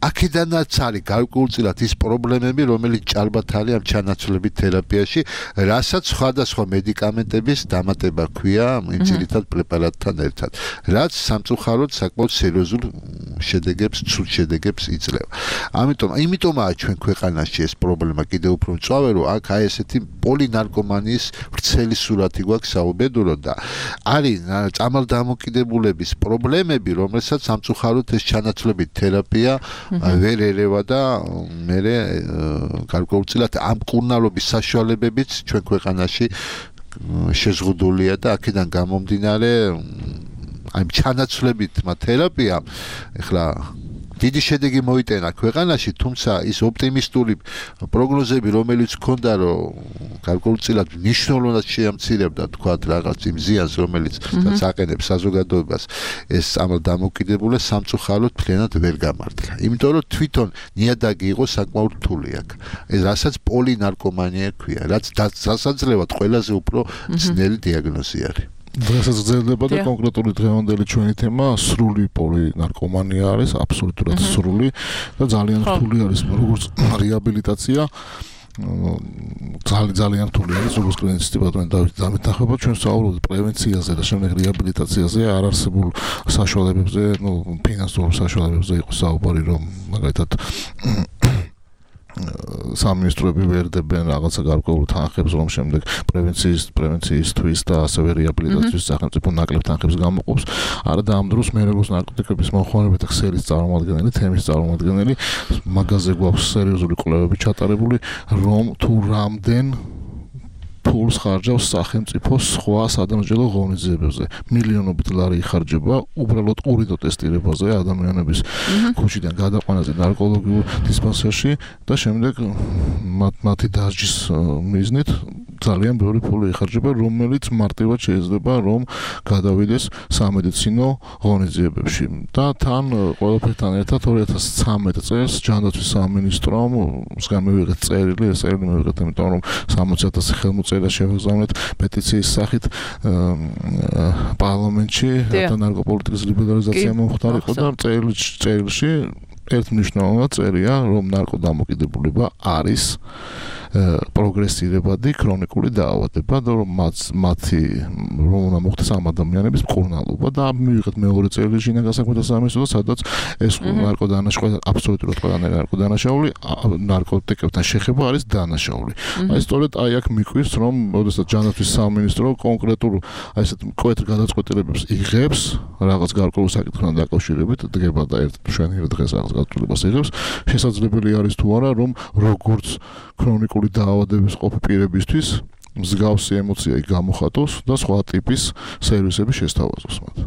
აქედანაც არის გარკვეულწილად ის პრობლემები, რომელიც ჭარბად არის ამ ჩანაცვლებით თერაპიაში, რასაც სხვადასხვა მედიკამენტების დამატება ქვია იმ ძირითად პრეპარატთან ერთად, რაც სამწუხაროდ საკმაოდ სერიოზულ შედეგებს, ცუდ შედეგებს იძლევა. Ამიტომაა ჩვენ ქვეყანაში ეს პრობლემა კიდევ უფრო მწვავე, რომ აქ აი ესეთი პოლინარკომანიის ვრცელი სურათი გვაქვს საუბედუროდ და არის წამალდამოკიდებულების პრობლემები, რომელსაც სამწუხაროდ ეს ჩანაცვლებით თერაპია ვერ ერევა და მე გარკვეულწილად ამ მკურნალობის საშუალებებიც ჩვენ ქვეყანაში შეზღუდულია და აქედან გამომდინარე აი ჩანაცვლებით თერაპია ეხლა დიდი შედეგი მოიტანა ქვეყანაში, თუმცა ის ოპტიმისტური პროგნოზები, რომელიც ჰქონდა, რომ გარკვეულწილად მნიშვნელოვნად შეამცირებდა თქვათ რაღაც იმ ზიანს, რომელიც აყენებს საზოგადოებას, ეს დამოკიდებულება სამწუხაროდ მთლიანად ვერ გამართლა. იმიტომ რომ თვითონ ნიადაგი იყო საკმაოდ რთული აქ. ეს რასაც პოლინარკომანია ქვია, რაც სასაძლევად ყველაზე უფრო ძნელი დიაგნოზი არის. დღესაც გრძელდება და კონკრეტული დღევანდელი ჩვენი თემა სრული პოლინარკომანია არის, აბსოლუტურად სრული და ძალიან რთული არის როგორც რეაბილიტაცია. ძალიან რთული არის როგორც კლინიკისტი ბატონი დავით დამეთანხმება ჩვენ საუბრობთ პრევენციაზე და შემდეგ რეაბილიტაციაზე, არ არსებულ საშუალებებზე, ფინანსურ საშუალებებზე იყო საუბარი, რომ მაგალითად სამინისტროები ვერდებენ რაღაცა გარკვეულ თანხებს, რომ შემდეგ პრევენციისთვის და ასევე რეაბილიტაციის სახელმწიფო ნაკლებ თანხებს გამოყოფს. არა და ამ დროს მე როგორც ნარკოტიკების მომხმარებელთა ქსელის წარმომადგენელი, თემის წარმომადგენელი, მაგაზე გვაქვს სერიოზული კვლევები ჩატარებული, რომ თუ რამდენ ფულს ხარჯავს სახელმწიფო სხვა სადამსჯელო ღონისძიებებზე. მილიონობით ლარი იხარჯება უბრალოდ ურიდო ტესტირებაზე ადამიანების ქუჩიდან გადაყვანაზე ნარკოლოგიურ დისპანსერში და შემდეგ მათი დასჯის მიზნით ძალიან ბევრი ფული იხარჯება, რომელიც მარტივად შეიძლება რომ გადავიდეს სამედიცინო ღონისძიებებში. და თან ყველაფერთან ერთად 2013 წელს ჯანდაცვის სამინისტრომ მსგან მივიღეთ წერილი, ეს წერილი მივიღეთ, იმიტომ რომ 60,000 ხელმოწერა შევაგზავნეთ პეტიციის სახით პარლამენტში, რათა ნარკოპოლიტიკის ლიბერალიზაცია მომხდარიყო და წერილში ერთმნიშვნელოვნად წერია, რომ ნარკოდამოკიდებულება არის პროგრესირებადი ქრონიკული დაავადება და რომ მათი რომ უნდა მოხდეს ამ ადამიანების მკურნალობა და მივიღეთ მეორე წერილი შინაგან საქმეთა სამინისტროს, სადაც ეს ნარკოდანაშაული აბსოლუტურად ყველანაირი ნარკოდანაშაული ნარკოტიკებთან შეხება არის დანაშაული. აი სწორედ აი აქ მიკვირს, რომ ოდესაც ჯანდაცვის სამინისტრო კონკრეტულ აი ესეთ მკვეთრ გადაწყვეტილებებს იღებს რაღაც გარკვეულ საკითხთან დაკავშირებით, დგება და ერთ მშვენიერ დღეს რაღაც გადაწყვეტილებას იღებს, შესაძლებელი არის თუ არა, რომ როგორც ქრონიკული დაავადების ყოფი პირებისთვის მსგავსი ემოცია გამოხატოს და სხვა ტიპის სერვისები შესთავაზოს მათ.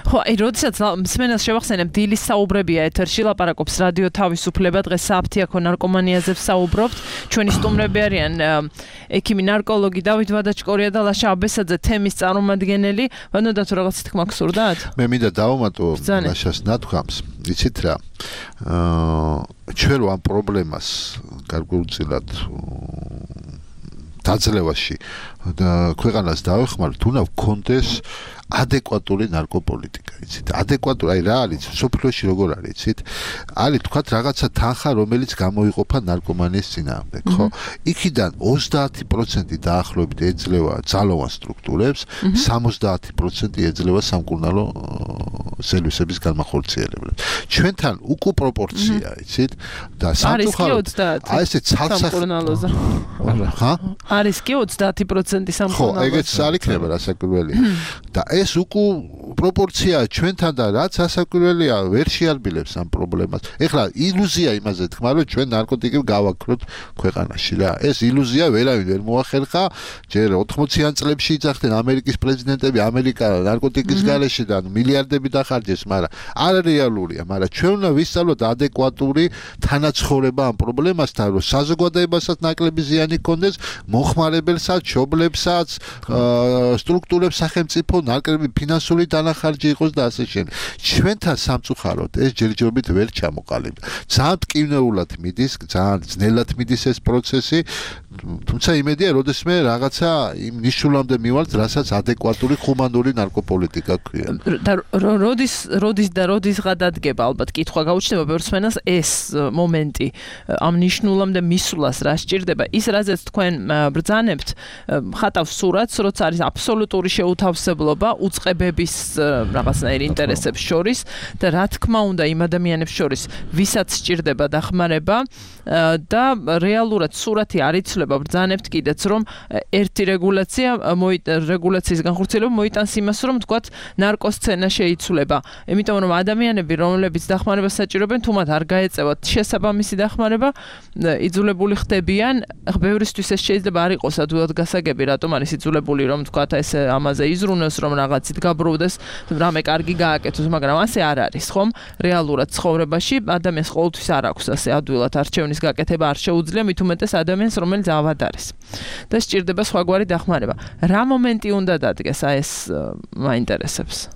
ხო, აი, როდესაც მსმენელს შევახსენებ, დილის საუბრებია ეთერში, ლაპარაკობს რადიო თავისუფლება, დღეს საფთიაქო ნარკომანიაზე ვსაუბრობთ. ჩვენი სტუმრები არიან ექიმი ნარკოლოგი დავით ვადაჩკორია და ლაშა აბესაძე, თემის წარმომადგენელი. ვანოდა თუ რაღაც თქმა გსურდათ? მე მინდა დავამატო ლაშას ნათქვამს. იცით რა? ჩვენ ამ პრობლემას გარკვეულწილად დაძლევაში და ქვეყანას დავეხმაროთ, უნდა გქონდეს ადეკვატური ნარკოპოლიტიკა, იცით? ადეკვატური, აი რა არის, სოფლიოში როგორ არის, იცით? არის თქვათ რაღაცა თანხა, რომელიც გამოიყოფა ნარკომანიის წინააღმდეგ, ხო? იქიდან 30% დაახლოებით ეძლევა ძალოვან სტრუქტურებს, 70% ეძლევა სამკურნალო სერვისების განმახორციელებლებს. ჩვენთან უკუ პროპორცია, იცით? და სამწუხაროდ აი ესე სამკურნალოზე. ხა? არის კი 30% სამკურნალოზე. ხო, ეგეც არ იქნება რასაკვირველია. და ეს უკუ პროპორციაა ჩვენთან და რაც ასაკვირველია, ვერ შეარბილებს ამ პრობლემას. ეხლა ილუზია იმაზე თქმა, რომ ჩვენ ნარკოტიკები გავაქროთ ქვეყანაში რა. ეს ილუზია ვერავინ ვერ მოახერხა. ჯერ 80-იან წლებში იძახდნენ ამერიკის პრეზიდენტები, ამერიკა ნარკოტიკის გარეშე და მილიარდები დახარჯეს, მაგრამ არარეალურია. მაგრამ ჩვენ უნდა ვისწავლოთ ადეკვატური თანაცხოვრება ამ პრობლემასთან, რომ საზოგადოებასაც ნაკლები ზიანი ჰქონდეს, მომხმარებელსაც, მშობლებსაც, სტრუქტურებს, სახელმწიფო ნაკლები ფინანსური დანახარჯი იყოს და ასე შემდეგ. ჩვენთან სამწუხაროდ ეს ჯერჯერობით ვერ ჩამოყალიბდა. ძალიან მტკივნეულად მიდის, ძალიან ძნელად მიდის ეს პროცესი, თუმცა იმედია, როდესმე რაღაცა იმ ნიშნულამდე მივალთ, რასაც ადეკვატური ჰუმანური ნარკოპოლიტიკა ქვია. და როდის გადადგება ალბათ კითხვა გაუჩნდება ბევრსმენელს ეს მომენტი ამ ნიშნულამდე მისვლას რა სჭირდება ის რაზეც თქვენ ბრძანებთ ხატავს სურათს როცა არის აბსოლუტური შეუთავსებლობა უწყებების რაღაცნაირ ინტერესებს შორის და რა თქმა უნდა იმ ადამიანებს შორის ვისაც სჭირდება დახმარება და რეალურად სურათი არ იცვლება ბრძანებთ კიდეც რომ ერთი რეგულაციის განხორციელება მოიტანს იმას რომ თქვათ ნარკოსცენა შეიცვლება იმიტომ რომ ადამიანები რომლებიც დახმარებას საჭიროებენ თუ მათ არ გაეწევათ შესაბამისი დახმარება იძულებული ხდებიან ბევრისთვის ეს შეიძლება არ იყოს ადვილად გასაგები რატომ არის იძულებული რომ თქვათ ეს ამაზე იზრუნოს რომ რაღაცით გაბრუნდეს რამე კარგი გააკეთოს მაგრამ ასე არ არის ხომ რეალურად ცხოვრებაში ადამიანს ყოველთვის არ აქვს ასე ადვილად არჩევნის გაკეთება არ შეუძლია მით უმეტეს ადამიანს რომელიც ავად არის და სჭირდება სხვაგვარი დახმარება რა მომენტი უნდა დადგეს აი ეს მაინტერესებს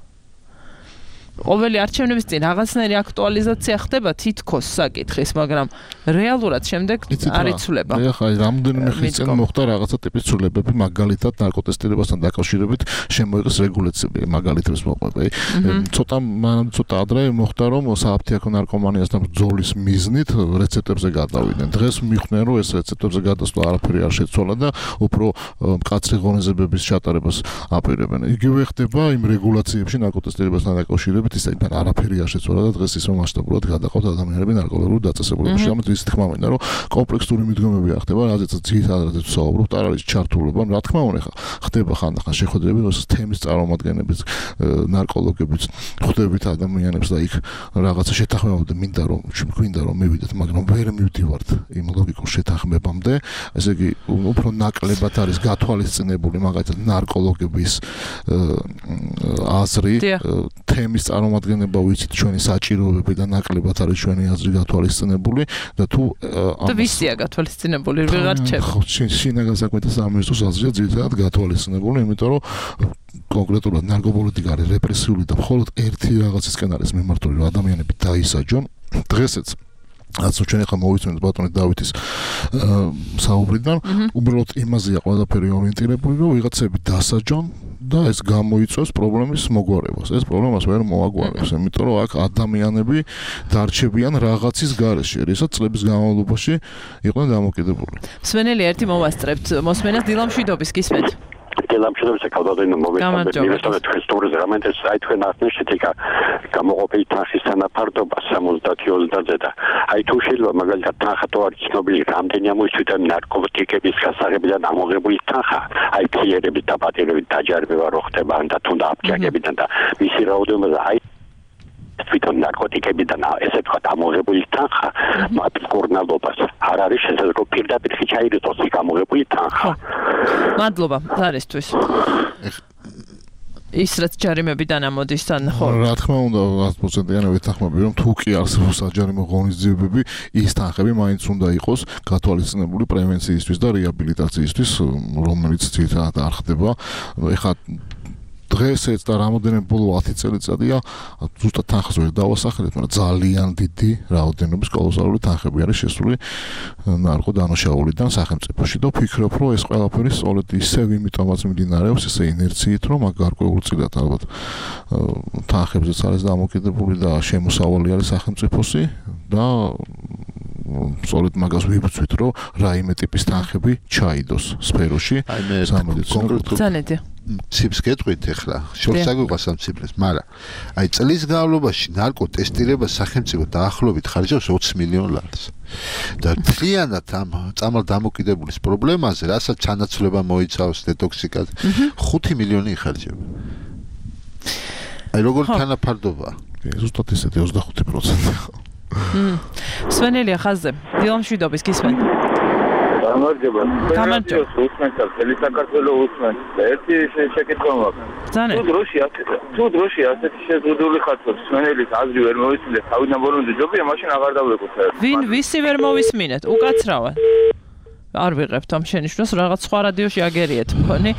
ყოველი არჩევნების წინ რაღაცნაირი აქტუალიზაცია ხდება თითქოს საკითხის, მაგრამ რეალურად შემდეგ არ იცვლება. ახლა რამდენიმე ხნის წინ მოხდა რაღაცა ტიპის ცვლილებები, მაგალითად ნარკოტესტირებასთან დაკავშირებით შემოიღეს რეგულაციები, მაგალითებს მოყვება. ცოტა ადრე მოხდა რომ სააფთიაქო ნარკომანიასთან ბრძოლის მიზნით რეცეპტებზე გადავიდნენ. დღეს მიხვდნენ რომ ეს რეცეპტებზე გადასვლა არაფერი არ შეცვალა და უფრო მკაცრი ღონისძიებების ჩატარებას აპირებენ. იგივე ხდება იმ რეგულაციებში ნარკოტესტირებასთან დაკავშირებით ისე არაფერი არ შეცვალა და დღეს ისე მასშტაბურად გადაყავთ ადამიანები ნარკოლოგიურ დაწესებულებაში. ამით ის თქმა მინდა რომ კომპლექსური მიდგომები არ ხდება, რაზეც ძირითადად ვსაუბრობთ, არ არის ჩართულობა. რა თქმა უნდა, ხდება ხანდახან შეხვედრები, როცა თემის წარმომადგენლებით, ნარკოლოგებით ხვდებით ადამიანებს და იქ რაღაცა შეთანხმებამდე მინდა რომ მივიდეთ, მაგრამ ვერ მივდივართ იმ ლოგიკურ შეთანხმებამდე. ესე იგი, უფრო ნაკლებად არის გათვალისწინებული მაგალითად ნარკოლოგების აზრი თემის წარმომადგენლება ვიცით ჩვენი საჭიროებები და ნაკლებად არის ჩვენი აზრი გათვალისწინებული და თუ და ვისია გათვალისწინებული ვეღარ რჩება ხო შინაგან საქმეთა სამინისტროს აზრია ძირითადად გათვალისწინებული იმიტომ რომ კონკრეტულად ნარკოპოლიტიკა არის რეპრესიული და მხოლოდ ერთი რაღაცისკენ არის მიმართული რომ ადამიანები დაისაჯონ დღესაც რაც ჩვენ ახლა მოვიცნეთ ბატონი დავითის საუბრიდან უბრალოდ იმაზეა ყველაფერი ორიენტირებული რომ ვიღაცები დასაჯონ და ეს გამოიწვევს პრობლემის მოგვარებას. ეს პრობლემას ვერ მოაგვარებს, იმიტომ რომ აქ ადამიანები დარჩებიან რაღაცის გარეშე, რისაც წლების განმავლობაში იყვნენ დამოკიდებული. მსმენელი ერთი მოვასწრებთ. მოსმენას დილამშვიდობის გისმენთ. დილამშვიდობის კავდადენო მოვესწრებთ. მივესწრებთ თქვენ სტურის რამენტეს აი თქვენ ახსნით იქა გამოყოფილი თანხის თანაფარდობა 70-20-ზე და აი თუ შეიძლება მაგალითად თანხა თუ არის ცნობილი რამდენი ამოიწვია ნარკოტიკების გასაღებიდან ამოღებული თანხა აი ფიერების დაპატიმრებით დაჯარება რო ხდება და თუნდა აფქიაკებიდან და მისი რაოდენობა აი თვითონ ნარკოტიკებიდან ესე თქვა ამოღებული თანხა მათ კორნალობას არ არის შესაძლებელი რომ პირდაპირ ჩაირიცხოს იქ ამოღებული თანხა. მადლობა ზარისთვის. ის რაც ჯარიმებიდან ამოდის თან ხო რა თქმა უნდა 100%-იანი ვეთანხმები რომ თუ კი არსებობს საჯარიმო ღონისძიებები ის თანხები მაინც უნდა იყოს გათვალისწინებული პრევენციისთვის და რეაბილიტაციისთვის რომელიც ძირითადად არ ხდება ეხლა დღესაც და რამოდენიმე ბოლო 10 წელიწადია ზუსტად თანხას ვერ დავასახელებ, მაგრამ ძალიან დიდი რაოდენობის კოლოსალური თანხები არის შესული ნარკოდანაშაულიდან სახელმწიფოში და ვფიქრობ, რომ ეს ყველაფერი სწორედ ისევ იმიტომაც მიმდინარეობს, ესე ინერციით, რომ მაგ გარკვეულწილად ალბათ თანხებზეც არის დამოკიდებული და შემოსავალი არის სახელმწიფოსი და სწორედ მაგას ვიბრძვით, რომ რაიმე ტიპის თანხები ჩაიდოს სფეროში სამედიცინო ციფრს გეტყვით ახლა შორს აგვიყვას ამ ციფრებს, მაგრამ აი წლის განმავლობაში ნარკოტესტირება სახელმწიფო დაახლოებით ხარჯავს 20 მილიონ ლარს. და მთლიანად ამ წამალ დამოკიდებულის პრობლემაზე, რასაც ჩანაცვლება მოიცავს დეტოქსიკაზე, 5 მილიონი იხარჯება. აი როგორ თანაფარდობა? ზუსტად ისეთი 25%. სვენელია ხაზზე. დილამშვიდობის გისმენთ. გამარჯობა. უსმენთ მთელი საქართველოს უსმენთ. ერთი შეკითხვა მაქვს. თუ დროში ასეთი შეზღუდული ხარჯობს სვენელის აზრი ვერ მოვისმინეთ, თავიდან ბოლომდე ჯობია, მაშინ აღარ დავლებოთ. ვისი ვერ მოვისმინეთ? უკაცრავად. არ ვიღებთ ამ შენიშვნას, რაღაც სხვა რადიოში აგერიეთ მგონი,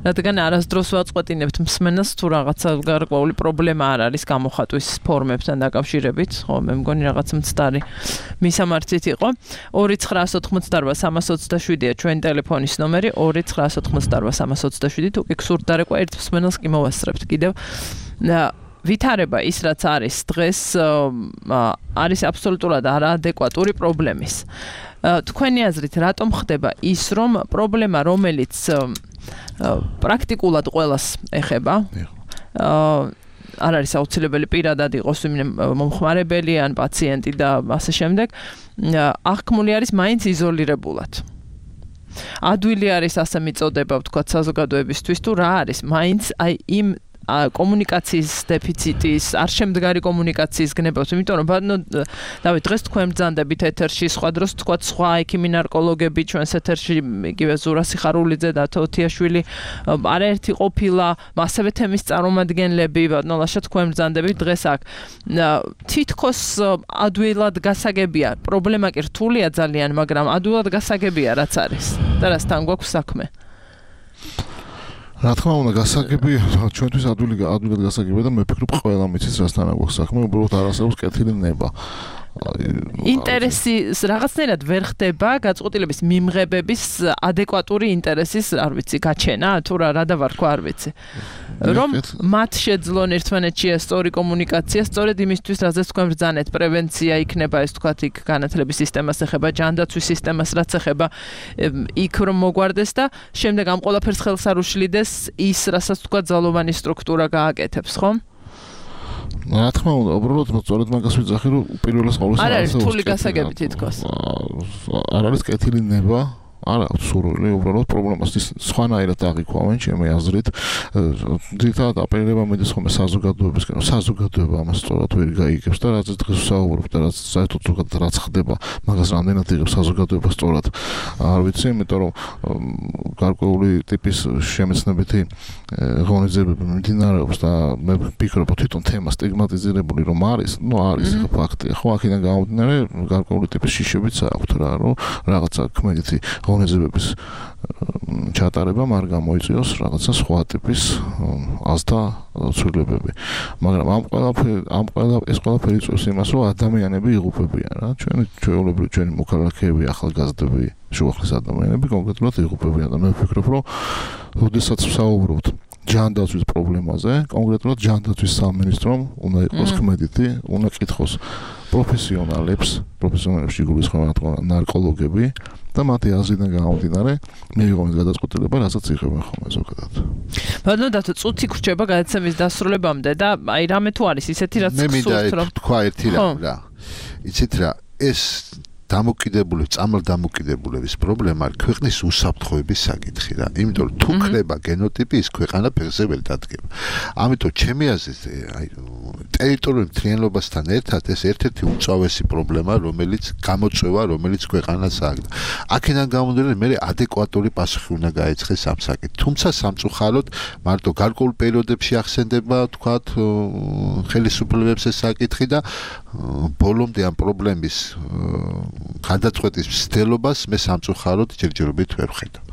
რადგან არასდროს ვაწყვეტინებთ მსმენელს თუ რაღაცა გარკვეული პრობლემა არ არის გამოხატვის ფორმებთან დაკავშირებით, ხო, მე მგონი რაღაც მცდარი მისამართით იყო. 2988327-ია ჩვენი ტელეფონის ნომერი, 2988327. თუ კი გსურთ დარეკვა ერთ მსმენელს კი მოვასწრებთ კიდევ. ვითარება ის რაც არის დღეს არის აბსოლუტურად არაადეკვატური პრობლემის. თქვენი აზრით რატომ ხდება ის რომ პრობლემა რომელიც პრაქტიკულად ყველას ეხება არ არის აუცილებელი პირადად იყოს მომხმარებელი ან პაციენტი და ასე შემდეგ აღქმული არის მაინც იზოლირებულად. ადვილი არის ასე მიწოდება ვთქვათ საზოგადოებისთვის თუ რა არის მაინც აი იმ კომუნიკაციის დეფიციტის, არ შემდგარი კომუნიკაციის გნებავს, იმიტომ რომ დავით დღეს თქვენ ბრძანდებით ეთერში, სხვა დროს თქვათ სხვა ექიმი ნარკოლოგები ჩვენს ეთერში, იგივე ზურა სიხარულიძე და თოთიაშვილი არაერთი ყოფილა, ასევე თემის წარმომადგენლები, ბატონლაშა თქვენ ბრძანდებით დღეს აქ. თითქოს ადვილად გასაგებია, პრობლემა კი რთულია ძალიან, მაგრამ ადვილად გასაგებია რაც არის. და რასთან გვაქვს საქმე? რა თქმა უნდა გასაგებია ჩვენთვის ადვილად გასაგებია და მე ვფიქრობ ყველა მიცის რასთან აქვს საქმე უბრალოდ არ არსებობს კეთილი ნება ინტერესი რაღაცნაირად ვერ ხდება გაწყვეტილების მიმღებების ადეკვატური ინტერესის არ ვიცი გაჩენა თუ რა დავარქვა არ ვიცი რომ მათ შეძლონ ერთმანეთში სწორი კომუნიკაცია სწორედ იმისთვის რაზეც თქვენ ბრძანეთ პრევენცია იქნება ეს თქვათ იქ განათლების სისტემას ეხება ჯანდაცვის სისტემას რაც ეხება იქ რომ მოგვარდეს და შემდეგ ამ ყველაფერს ხელს არ უშლიდეს ის რასაც თქვათ ძალოვანი სტრუქტურა გააკეთებს ხო რა თქმა უნდა, უბრალოდ სწორედ მაგას ვიძახი, რომ პირველას ყოველს არ არის რთული გასაგები თითქოს. არ არის კეთილი ნება, არ აქვს სურვილი, უბრალოდ პრობლემას სხვანაირად აღიქვამენ, ჩემი აზრით. ძირითადად აპელირება მიდის ხოლმე საზოგადოებისკენ, საზოგადოება ამას სწორად ვერ გაიგებს და რაც დღეს ვსაუბრობთ და რაც საერთოდ ზოგადად რაც ხდება, მაგას რამდენად იღებს საზოგადოება სწორად. არ ვიცი, იმიტომ რომ გარკვეული ტიპის შემეცნებითი ღონისძიებები მიმდინარეობს და მე ვფიქრობ თვითონ თემა სტიგმატიზირებული რომ არის, არის ფაქტია. ხო, აქედან გამომდინარე გარკვეული ტიპის შიშებიც აქვთ რა, რომ რაღაცა ქმედითი ღონისძიებების ჩატარებამ არ გამოიწვიოს რაღაცა სხვა ტიპის აზთა ცვლილებები. მაგრამ ეს ყველაფერი იწვევს იმას, რომ ადამიანები იღუპებიან რა. ჩვენი მოქალაქეები, ახალგაზრდები, შუახლის ადამიანები კონკრეტულად იღუპებიან და მე ვფიქრობ, რომ როდესაც ვსაუბრობთ ჯანდაცვის პრობლემაზე, კონკრეტულად ჯანდაცვის სამინისტრომ უნდა იყოს ქმედითი, უნდა კითხოს პროფესიონალებში გულისხმობა ნარკოლოგები და მათი აზრიდან გამომდინარე მიიღოს გადაწყვეტილება, რასაც იღებენ ხოლმე ზოგადად. ბატონო დათო, წუთი გრჩება გადაცემის დასრულებამდე და აი რამე თუ არის ისეთი რაც გსურთ რომ თქვა ერთი რამ რა. იცით რა, ეს დამოკიდებულების პრობლემა არის ქვეყნის უსაფრთხოების საკითხი რა. იმიტომ რომ თუ ქრება გენოტიპი ის ქვეყანა ფეხზე ვერ დადგება. ამიტომ ჩემი აზრით აი ტერიტორიული მთლიანობასთან ერთად ეს ერთ-ერთი უწავესი პრობლემა რომელიც გამოწვევა რომელიც ქვეყანას აქვს. აქედან გამომდინარე მე ადეკვატური პასუხი უნდა გაეცხეს ამ საკითხს. თუმცა სამწუხაროდ მარტო გარკვეულ პერიოდებში ახსენდება თქვათ ხელისუფლებებს ეს საკითხი და ბოლომდე ამ პრობლემის გადაწყვეტის მცდელობას მე სამწუხაროდ ჯერჯერობით ვერ ვხედავ.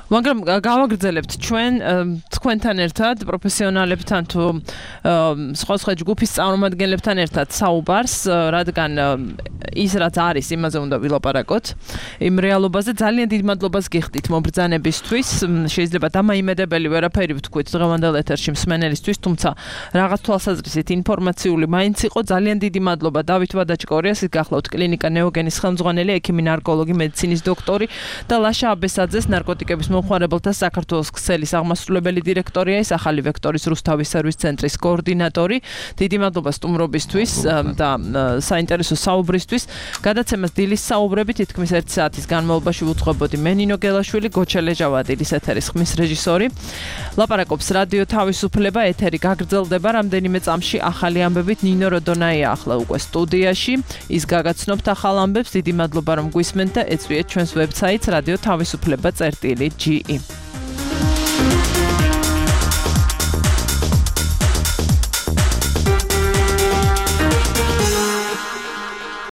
მაგრამ გავაგრძელებთ ჩვენ თქვენთან ერთად პროფესიონალებთან თუ სხვა ჯგუფის წარმომადგენლებთან ერთად საუბარს, რადგან ის რაც არის, იმაზე უნდა ვილაპარაკოთ. იმ რეალობაზე ძალიან დიდ მადლობას გიხდით მობრძანებისთვის. შეიძლება დამაიმედებელი ვერაფერი ვთქვით დღევანდელ ეთერში მსმენელისთვის, თუმცა რაღაც თვალსაზრისით ინფორმაციული მაინც იყო. ძალიან დიდი მადლობა დავით ვადაჭკორიას, ის გახლავთ კლინიკა ნეოგენის ხელმძღვანელი, ექიმი ნარკოლოგი, მედიცინის დოქტორი და ლაშა აბესაძეს ნარკოტიკების მომხმარებელთა საქართველოს ქსელის აღმასრულებელი დირექტორია, ის ახალი ვექტორის რუსთავის სერვის ცენტრის კოორდინატორი. დიდი მადლობა სტუმრობისთვის და საინტერესო საუბრისთვის. გადაცემას დილის საუბრები თითქმის 1 საათის განმავლობაში ვუძღვებოდი მე ნინო გელაშვილი, გოჩა დილის ეთერის ხმის რეჟისორი. ლაპარაკობს რადიო თავისუფლება, ეთერი გაგრძელდება რამდენიმე წამში ახალი ამბებით. ნინო როდონაია ახლა უკვე სტუდიაში, ის გაგაცნობთ ახალ ამბებს. დიდი მადლობა რომ გვისმენთ და ეწვიეთ ჩვენს ვებსაიტს radio-tavisupleba.ge